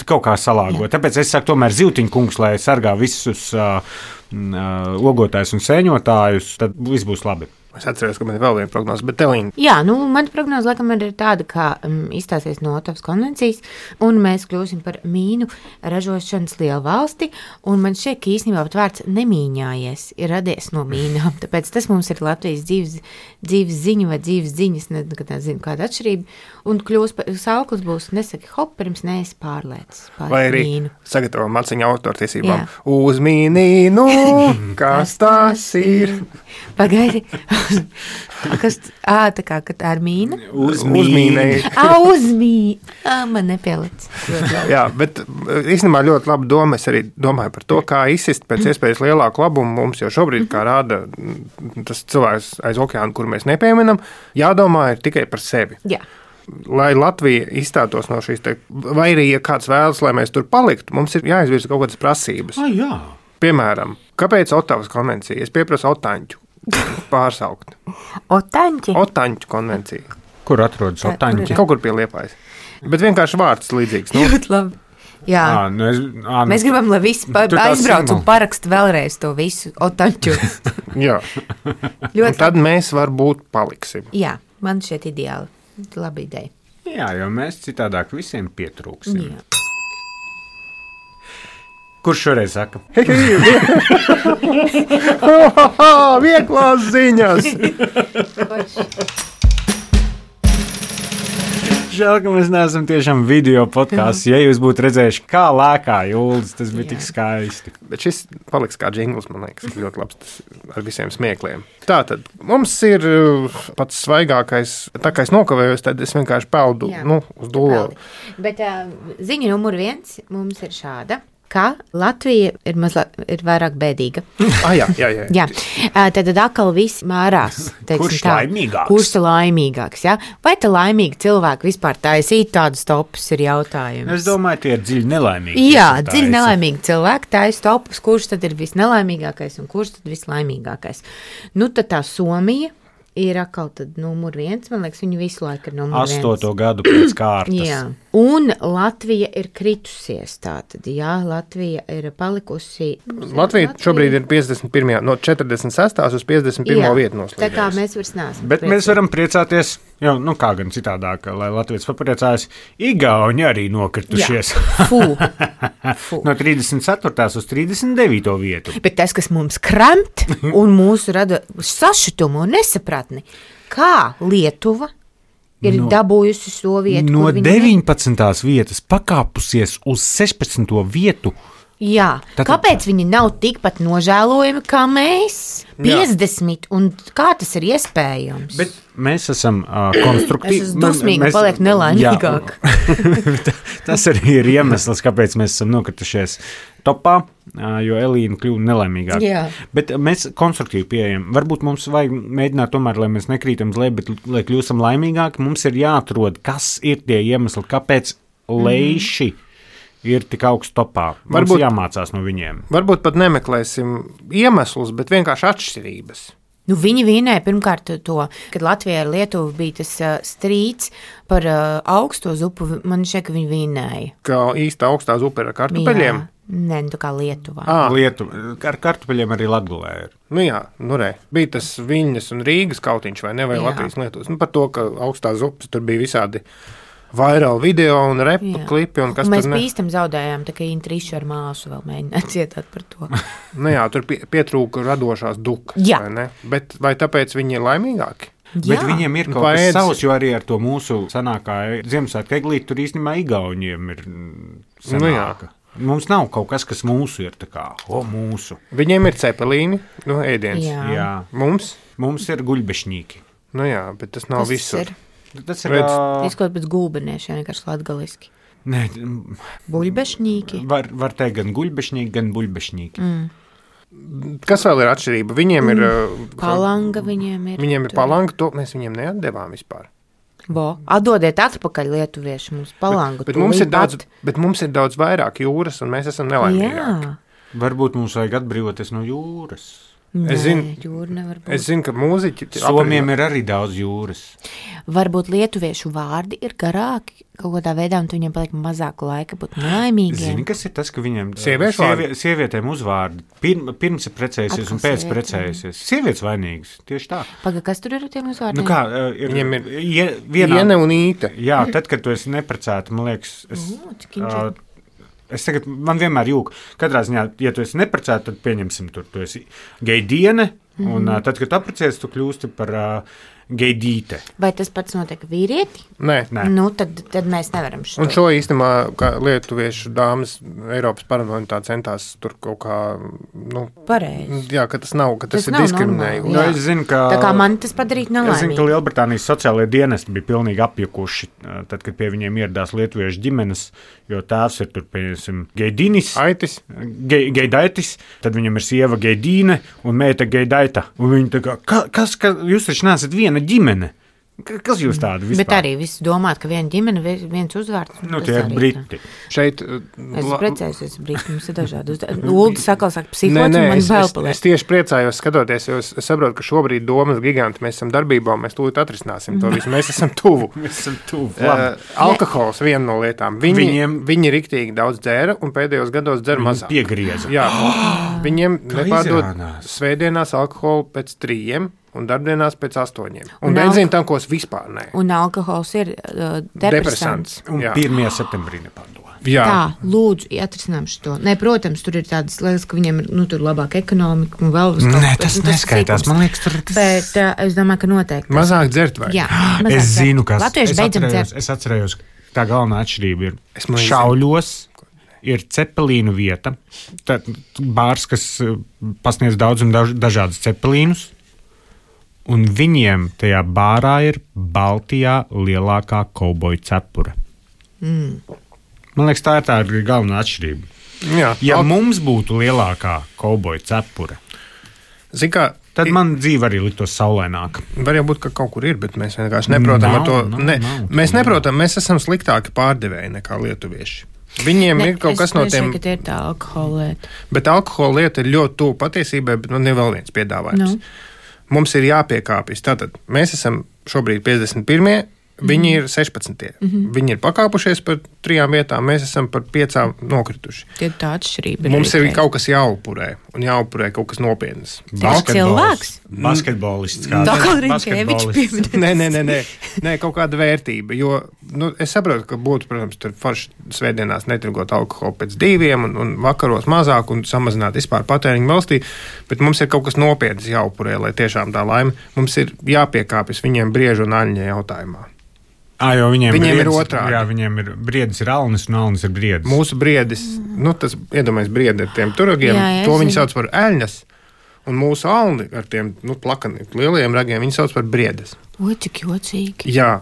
kaut kā salāgot. Tāpēc es saku tomēr Zivtiņa kungs, lai sargā visus ogotājus un sēņotājus, tad viss būs labi. Es atceros, ka man ir vēl viena prognoze, bet Telīna. Jā, mana prognoze laikam ir tāda, ka izstāsies no Otavas konvencijas, un mēs kļūsim par mīnu ražošanas lielu valsti, un man šķiet, ka īstenībā pat vārds nemīņājies ir radies no mīnām, tāpēc tas mums ir Latvijas dzīves ziņa vai dzīves ziņas, nekad nezinu kāda atšķirība, un sauklis būs nesaki hop, pirms neesi pārlēcis pār vai arī mīnu. Sagatavo maciņu autortiesībām. Uz mīnīnu, kas tas ir? Pagaidi. Kas, tā kā ar mīnu? Uzmīnēji. Man nepielic. Jā, bet īstenībā ļoti laba doma. Es arī domāju par to, kā izsist pēc iespējas lielāku labumu mums jau šobrīd, kā rāda tas cilvēks aiz okeāna, kur mēs nepieminam, jādomā ir tikai par sevi. Jā. Lai Latvija izstātos no šīs, vai arī, ja kāds vēlas, lai mēs tur paliktu, mums ir jāizvirza kaut kādas prasības. Jā. Piemēram, kāpēc Otavas konvencija? Es pieprasu Otaņķu pārsaukt. Otaņķu konvencija. Kur atrodas Otaņķi? Kaut kur pie Liepājas. Bet vienkārši vārds līdzīgs. Ļoti labi. Jā. Mēs gribam, lai visi aizbrauc un paraksta vēlreiz to visu Otaņķu. Jā. Un tad mēs varbūt paliksim. Jā, man šeit ideāli. Labi ideja. Jā, jo mēs citādāk visiem pietrūksim. Jā. Kurš šoreiz saka? Vieglās ziņas! Žēl, ka mēs neesam tiešām video podkāsts. Ja jūs būtu redzējuši, kā lēkā Jūlis, tas bija tik skaisti. Bet šis paliks kā džingls, man liekas, ļoti labs tas ar visiem smiekliem. Tātad, mums ir pats svaigākais, tā kā es nokavējos, tad es vienkārši peldu uz dūlo. Bet ziņa numur 1 mums ir šāda. Ka Latvija ir vairāk bēdīga. Jā. Tad atkal viss mērās. Kurš laimīgāks? Kurš laimīgāks, jā? Vai te laimīgi cilvēki vispār taisīt tādus topus ir jautājums? Es domāju, tie ir dziļi nelaimīgi. Jā, dziļi nelaimīgi cilvēki taisa topus, kurš tad ir visnelaimīgākais un kurš tad vislaimīgākais. Nu, tad tā Somija ir atkal tad numur 1, man liekas, viņi visu laiku ir numur 1. 8. gadu pēc kārtas. Jā, un Latvija ir kritusies tātad, jā, Latvija ir palikusi. Latvija šobrīd ir 51. no 46. uz 51. vietu noslīdējusi. Tā kā mēs vairs neesam. Bet mēs varam priecāties, jo, kā gan citādāk, lai Latvijas papriecājas, Igauni arī nokritušies. Fū. No 34. uz 39. vietu. Bet tas, kas mums kremt un mūsu rada sašutumu un nesapratni, kā Lietuva ir dabūjusi šo vietu. No 19. vietas pakāpusies uz 16. vietu. Jā, kāpēc viņi nav tikpat nožēlojami kā mēs? 50, un kā tas ir iespējams? Bet mēs esam konstruktīvi. Es esmu dusmīgi, paliek nelaimīgāk. Tas arī ir iemesls, kāpēc mēs esam nokritušies topā, jo Elīna kļuva nelaimīgāk. Jā. Bet mēs konstruktīvi pieejam. Varbūt mums vajag mēģināt tomēr, lai mēs nekrītam uz leju, bet lai kļūstam laimīgāki, mums ir jāatrod, kas ir tie iemesli, kāpēc leiši ir tik augsts topā. Varbūt jāmācās no viņiem. Varbūt pat nemeklēsim iemeslus, bet vienkārši atšķirības. Nu, viņi vinēja pirmkārt to, kad Latvijā ar Lietuvu bija tas strīds par augsto zupu. Man šķiet, ka viņi vinēja. Kā īsta augstā zupa ir ar kartupeļiem? Nē, tā kā Lietuvā. Ar kartupeļiem arī Latgulē ir. Nu jā, bija tas Viļņas un Rīgas kautiņš, vai ne, vai Latvijas Lietuvas. Par to, ka augstā zupas tur bija visādi vairāk video un repu klipi. Un mēs pīstam zaudējām, tā kā Intriša ar māsu vēl mēģināja cietāt par to. Nu jā, tur pietrūka radošās dukas, vai ne? Bet vai tāpēc viņi ir laimīgāki? Bet viņiem ir kaut kas savs, jo arī ar to mūsu senākā Ziemassvētku eglīti tur īstenībā Igauniem ir senāka. Mums nav kaut kas, kas mūsu ir tā kā, mūsu. Viņiem ir cepelīni, ēdiens. Jā. Mums ir guļbešņīki. Nu jā, bet tas nav visur. Tas ir izklausās pēc gulbeniešiem, vienkārši latgaliski. Nē. Buļbešņīki. Var teikt gan guļbešņīki, gan buļbešņīki. Kas vēl ir atšķirība? Viņiem ir palanga, viņiem ir palanga, to mēs viņiem neatdevām vispār. Atdodiet atpakaļ lietuvieši mums palangu. Bet mums ir daudz vairāk jūras, un mēs esam nelaimīgāki. Varbūt mums vajag atbrīvoties no jūras. Es zinu, ka mūziķi Somiem ir arī daudz jūras. Varbūt lietuviešu vārdi ir garāki kaut kādā veidā, un viņiem paliek mazāk laika būt nelaimīgiem. Zini, kas ir tas, ka viņiem sievietēm uzvārdi pirms ir precējusies un pēc precējusies. Sievietes vainīgas, tieši tā. Paga, kas tur ir ar tiem uzvārdiem? Nu kā, viņiem ir Iene un Īte. Jā, tad, kad tu esi neprecēta, man liekas, man vienmēr jūka. Katrā ziņā, ja tu esi neprecēta, tad pieņemsim tur, tu esi gejdiene, un tad, kad tu apprecējies, tu kļūsti par geidīte. Vai tas pats notiek vīrieti? Nē. Nu, tad mēs nevaram šo. Un šo īstenībā, kā lietuviešu dāmas Eiropas parlamentā centās tur kaut kā, Pareizi. Jā, ka tas nav, ka tas ir nav diskriminējums. normāli, jā. Es zinu, ka, Tā kā man tas padarīt es zinu, ka nelaimīgi. Lielbritānijas sociālajie dienesti bija pilnīgi apjukuši, tad, kad pie viņiem ieradās lietuviešu ģimenes, jo tēvs ir tur, pieņemsim, Geidinis, Aitis. Geidaitis, tad viņam ir sieva Geidīne un meita Geidaita. Un viņi tā kā, kas jūs taču neesat viena ģimene? Kas jūs tādi vispār? Bet arī viss domāt, ka viena ģimene, viens uzvārds. Nu, tas tie ir arī briti. Šeit Es precējusies brīdi, mums ir dažādi uzdevumi. Ulda saka psihots, un man vēl paliek. es tieši priecājos skatoties, jo es saprotu, ka šobrīd domas giganti mēs esam darbībā, un mēs tūlīt atrisināsim to visu. Mēs esam tuvu. Mēs esam tuvu. Alkohols viena no lietām. Viņi riktīgi daudz dzēra, un pēdējos gados dzer mazāk. Piegrieza. Jā, viņiem Kā nepārdod izrādās. svētdienās alkoholu pēc 3 un darbdienās pēc 8. Un Un benzīna tankos vispār nē. Un alkohols ir depresants. Un Jā. 1. septembrī nepārdoda. Jā. Tā, lūdzu, atrisinām šo. Nē, protams, tur ir tādas lietas, ka viņiem ir tur labāka ekonomika un vēl uz Nē, tas neskaitās. Man liekas, tur tas... Bet es domāju, ka noteikti. Mazāk dzert vai? Jā, mazāk Es zinu, kas Latvieši beidzam dzert. Es atcerējos, tā galvenā atšķirība ir man Šauļos. Ir cepelīnu vieta. Tad bārs, kas pasniedz daudz un dažādus cepelīnus. Un viņiem tajā bārā ir Baltijā lielākā kauboja cepura. Man liekas, tā ir galvenā atšķirība. Jā. Ja mums būtu lielākā kauboja cepura, Zini kā, tad man dzīve arī liktos saulaināka. var jau būt, ka kaut kur ir, bet mēs vienkārši neprotam ar to. Mēs neprotam, mēs esam sliktāki pārdevēji nekā lietuvieši. Viņiem ir kaut kas no tiem, ka tie ir tā alkohola lieta. bet alkohola lieta ir ļoti tuvu patiesībai, bet man ir vēl viens piedāvājums. Mums ir jāpiekāpjas. Tātad mēs esam šobrīd 51. Viņi ir 16. Viņi ir pakāpušies par 3 vietām, mēs esam par 5 nokrituši. Tie ir tā atšķirība. Mums ir kaut kas jāupurē, un jāupurē kaut kas nopietns. cilvēks? Basketbolists. Tā kā Rinkēvičs pieminēja. Nē, kaut kāda vērtība. Jo es saprotu, ka būtu, protams, tur forši svētdienās netirgot alkoholu pēc 2 un vakaros mazāk un samazināt vispār patēriņu valstī, bet mums ir kaut kas nopietns jāupurē, lai tiešām tā laime. Mums ir jāpiekāpjas viņiem briežu un aļņa jautājumā. Jo viņiem ir otrādi. Jā, viņiem ir briedis, ir alnis un alnis ir briedis. Mūsu briedis, tas iedomājas briedi ar tiem turagiem, Jā, to viņi zinu. sauc par eļņas, un mūsu alni ar tiem plakani, lielajiem ragiem viņi sauc par briedes. Oi, cik jocīgi. Jā,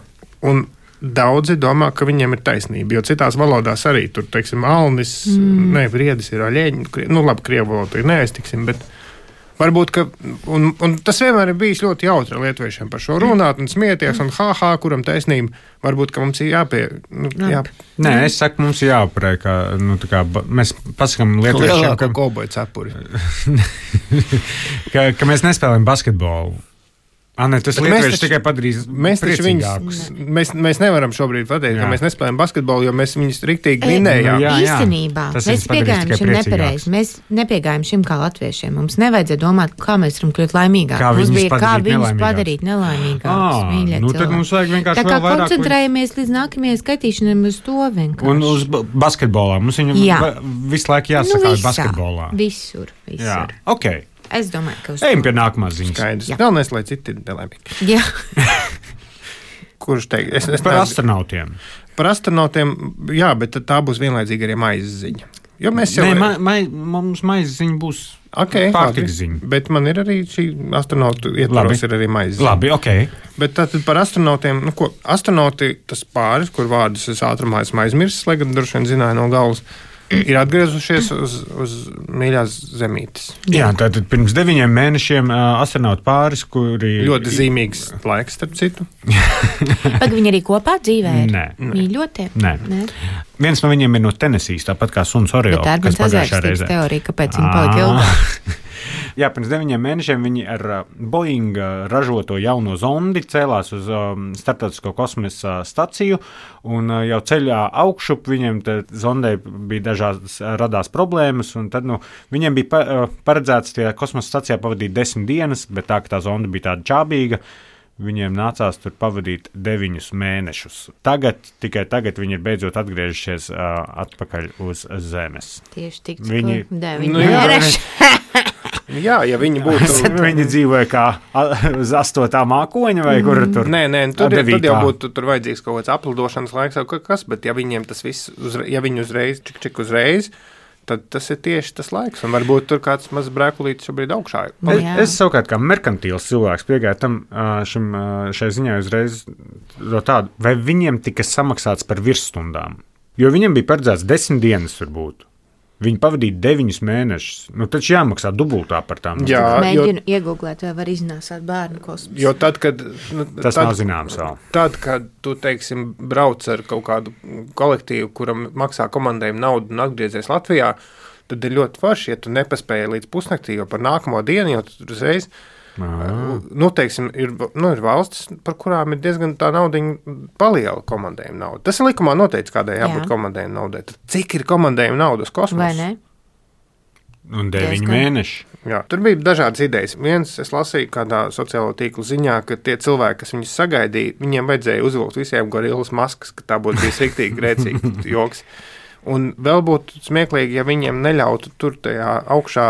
un daudzi domā, ka viņiem ir taisnība, jo citās valodās arī tur, teiksim, alnis, ne, briedis ir aļēņi, labi, krievu valodu ir neaiztiksim, bet varbūt, ka, un tas vienmēr ir bijis ļoti jautri lietuviešiem par šo runāt un smieties, un kuram taisnība, varbūt, ka mums ir jā. Nē, es saku, mums ir jāapurē, ka mēs pasakām lietuviešiem, Lielāko kauboju cepuri. ka mēs nespēlējam basketbolu. Tas Bet lietuvieši tikai padarīs Mēs taču priecīgākus. mēs nevaram šobrīd pateikt, Jā. ka mēs nespēlējam basketbolu, jo mēs viņus riktīgi vinējām. Jā, jā. Īstenībā Tas mēs viņus padarīs piegājām tikai šim priecīgākus. nepareizi. Mēs nepiegājām šim kā latviešiem. Mums nevajadzēja domāt, kā mēs varam kļūt laimīgāki. Kā Mums viņus bija kā padarīt viņus nelaimīgākus. padarīt nelaimīgākus. mīļie Nu, tad cilvēki. mums vajag vienkārši Tā kā vēl vairāk. koncentrējamies līdz nākamajai skaitīšanai uz to vienkārši. Un uz basketbolā. Mums viņam Jā. visu laiku jāsaka basketbolā. Visur. Jā, ok. Es domāju, ka uz Ejam pie nākamās ziņas. Skaidrs. Jā. Galvenais, lai citi ir nelaimīgi. Jā. Kurš teikt? Es Par astronautiem. Par astronautiem, jā, bet tad tā būs vienlaicīgi arī maizes ziņa. Jo mēs jau... Nē, mums maizes ziņa būs pārtikas ziņa. Bet man ir arī šī astronautu ietvaros ir arī maizes ziņa. Labi, ok. Bet tātad par astronautiem, astronauti, tas pāris, kur vārdus es ātrumā esmu aizmirsis, lai gan droši vien zināju no galvas, ir atgriezušies uz mīļās zemītes. Jā, tātad pirms 9 mēnešiem astronautu pāris, kuri... Ļoti zīmīgs laiks, starp citu. Pag viņi arī kopā dzīvē ir? Nē. Mīļotie? Nē. Viens no viņiem ir no Tenesijas, tāpat kā suns Oreo. Bet tā ir kas mans pagājušā azārstības reizē. teorija, kāpēc viņi palika ilgāk. Jā, pirms 9 mēnešiem viņi ar Boeing ražoto jauno zondi cēlās uz Startautisko kosmosa staciju, un jau ceļā augšup viņiem zondei bija radās problēmas, un tad viņiem bija paredzēts tie kosmosa stacijā pavadīt 10 dienas, bet tā, ka tā zonda bija tāda čābīga, viņiem nācās tur pavadīt 9 mēnešus. Tikai tagad viņi ir beidzot atgriežušies atpakaļ uz Zemes. Tieši tik, Viņi- cik 9 Nu, jā. mēneši. Jā, ja viņi būtu. Viņi dzīvoja kā uz 8. mākoņa vai kur tur? Nē, tad jau būtu tur vajadzīgs kaut kāds aplidošanas laiks vai kas, bet ja viņiem tas viss, ja viņi uzreiz, čik uzreiz, tad tas ir tieši tas laiks, un varbūt tur kāds mazs brēkulītis šobrīd augšā. Es savukārt kā merkantīls cilvēks piegāju tam šai ziņā uzreiz no tādu, vai viņiem tika samaksāts par virsstundām, jo viņiem bija paredzēts 10 dienas varbūt. Viņi pavadīja 9 mēnešus. Taču jāmaksā dubultā par tām. Jā, mēģinu iegooglēt, vai var iznāsāt bērnu kosmosu. Jo tad, kad... Tas nav zināms vēl. Tad, kad tu, teiksim, brauc ar kaut kādu kolektīvu, kuram maksā komandējumu naudu un atgriezies Latvijā, tad ir ļoti forši, ja tu nepaspēji līdz pusnaktī, jo par nākamo dienu, jo tu uzreiz... teiksim, ir valstis, par kurām ir diezgan tā naudiņa paliela komandējuma nauda. Tas ir likumā noteikts, kādai jābūt komandējuma naudai. Tad cik ir komandējuma nauda uz kosmosu? Vai ne? Un 9 mēneši. Jā, tur bija dažādas idejas. Viens, es lasīju kādā sociālo tīklu ziņā, ka tie cilvēki, kas viņus sagaidīja, viņiem vajadzēja uzvilkt visiem gorillas maskas, ka tā būtu bijis riktīgi grēcīgi joks. Un vēl būtu smieklīgi, ja viņiem neļautu tur tajā augšā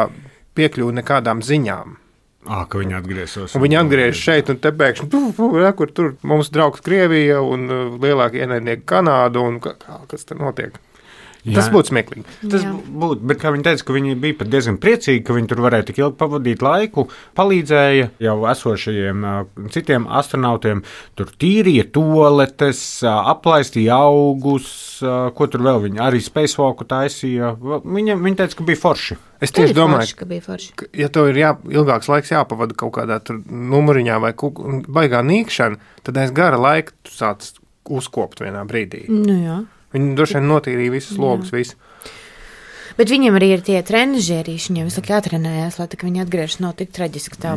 piekļūt nekādām ziņām. Ka viņi atgriezos. Un viņi atgriežas šeit, un te pēkšņi, kur tur mums draugs Krievija un lielākie ienaidnieki Kanādu, un kas tur notiek. Jā. Tas būtu smieklīgi. Tas būtu, bet kā viņi teica, ka viņi bija pat diezgan priecīgi, ka viņi tur varēja tik ilgi pavadīt laiku, palīdzēja jau esošajiem citiem astronautiem, tur tīrīja toaletes, aplaistīja augus, ko tur vēl viņi, arī spacewalku taisīja. Viņi teica, ka bija forši. Es tieši domāju, ka ja tev ir ilgāks laiks jāpavada kaut kādā tur numuriņā vai baigā nīkšana, tad aiz gara laika tu sāc uzkopt vienā brīdī. Jā. Viņi droši vien notīrīja visus logus, visu. Bet viņiem arī ir tie trenažierīši, viņiem visu laiku jātrenējās, lai viņi atgriežas nav tik traģiski tā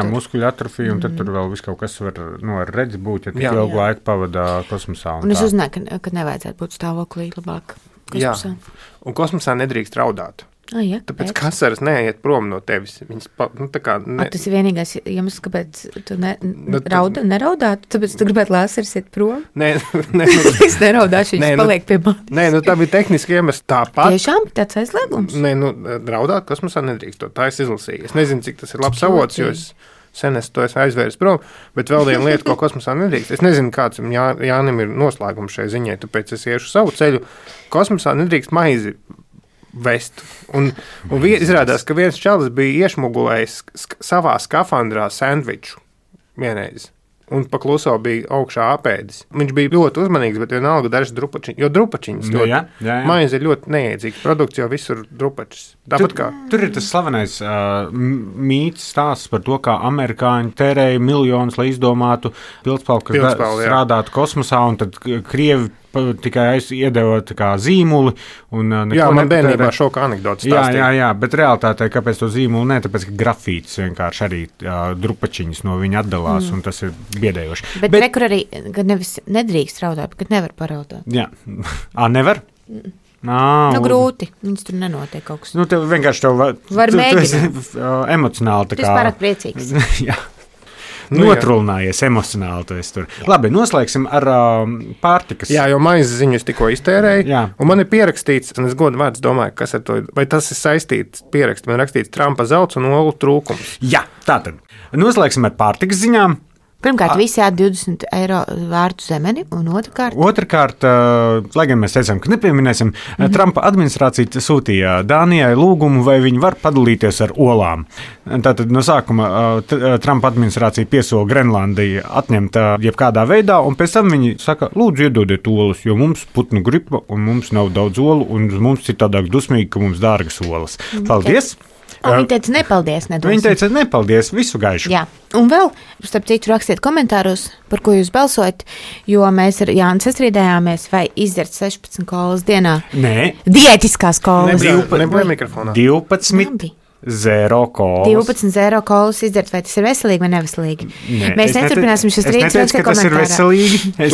muskuļu atrofija, un tad tur vēl viss kaut kas var ar redzi būt, ja tik ilgu laiku pavadā kosmosā. Un es uzzināju, ka nevajadzētu būt stāvoklī labāk kosmosā. Jā, un kosmosā nedrīkst raudāt. Jā, tāpēc kasaras neiet prom no tevis. Viņas, tas ir vienīgais iemesls, kāpēc tu neraudātu, tāpēc tu gribētu lāseris iet prom? Nē. Es neraudāšu, viņas paliek pie manis. Nē, tā bija tehniski iemesls tāpat. Tiešām tāds aizliegums? Nē, raudāt kosmosā nedrīkst, tā es izlasīju. Es nezinu, cik tas ir labs avots, jo es sen to aizvērs prom, bet vēl viena lieta, ko kosmosā nedrīkst. Es nezinu, kāds Jānim ir noslēgums šai ziņai, tāpēc es iešu savu ceļu. Kosmosā nedrīkst maizi vest. Un izrādās, ka viens čalis bija iešmugulējis savā skafandrā sandviču vienreiz. Un pakluso bija augšā apēdis. Viņš bija ļoti uzmanīgs, bet vienalga dažas drupačiņas, jo drupačiņas ļoti, maize ir ļoti neēdzīgs produkts, jo visur drupačas. Tur ir tas slavenais mīts stāsts par to, kā amerikāņi tērēja miljonus, lai izdomātu pildspalvu, kas strādātu kosmosā, un tad Krievi tikai iedeva zīmuli. Man bērnībā šoka anekdotas stāstīja. Jā, bet realitātē, kāpēc to zīmuli ne? Tāpēc, ka grafītis vienkārši arī drupačiņas no viņa atdalās, un tas ir biedējoši. Bet rekur arī, kad nevis nedrīkst raudāt, bet kad nevar paraudāt. Jā. Nevar? Grūti. Viņas tur nenotiek kaut kas. Tev vienkārši var mēģināt. Emocionāli. Tu esi pārāk priecīgs. Jā. Notrulinājies emocionāli. Tu esi tur. Labi, noslēgsim ar pārtikas. Jā, jo maizes ziņu es tikko iztērēju. Jā. Un man ir pierakstīts, un es godu vārds domāju, kas ar to, vai tas ir saistīts pierakst. Man rakstīts Trumpa zelts un olu trūkums. Jā, tātad. Noslēgsim ar pārtikas ziņām. Pirmkārt, visi ēd 20 eiro vērtu zemeni, un otrkārt, lai gan mēs teicām, ka nepieminēsim, Trumpa administrācija sūtīja Dānijai lūgumu, vai viņi var padalīties ar olām. Tātad no sākuma Trumpa administrācija piesola Grenlandiju atņemt jebkādā veidā, un pēc tam viņi saka, lūdzu iedodiet olas, jo mums putnu gripa, un mums nav daudz olu, un mums citādāk dusmīgi, ka mums dārgas olas. Paldies! Viņa teica, nepaldies, nedosim. Viņa teica, nepaldies, visu gaišu. Jā, un vēl, starp citu, rakstiet komentāros, par ko jūs balsojat, jo mēs ar Jānu sastrīdējāmies, vai izdzert 16 kolas dienā. Nē. Diētiskās kolas. Nebija mikrofonā. 12 zero kolas. 12 zero kolas izdzert, vai tas ir veselīgi vai neveselīgi? Nē, mēs neturpināsim šis strīds. Es neteicu, ka tas ir veselīgi. Es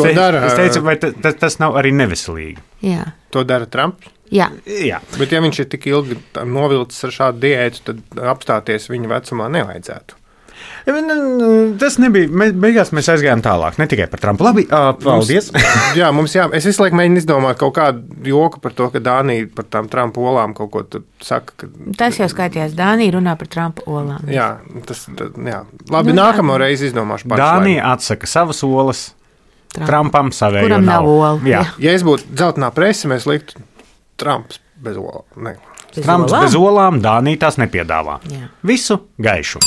teicu, vai tas nav arī neveselīgi. Jā. To dara Trumps? Jā. Bet ja viņš ir tik ilgi novilcis ar šādu diētu, tad apstāties viņa vecumā nevajadzētu. Tas nebija. Beigās mēs aizgājām tālāk. Ne tikai par Trumpu. Labi, paldies. Es visu laiku mēģinu izdomāt kaut kādu joku par to, ka Dānija par tām Trumpa olām kaut ko saka. Tas jau skaitījās. Dānija runā par Trumpa olām. Jā. Labi, nākamo reizi izdomāšu. Dānija atsaka savas olas. Trumpam savējo kuram nav ola. Jā. Ja es būtu dzeltenā prese, mēs liktu Trumps bez olām. Trumps bez olām, Dānija tās nepiedāvā. Jā. Visu gaišu.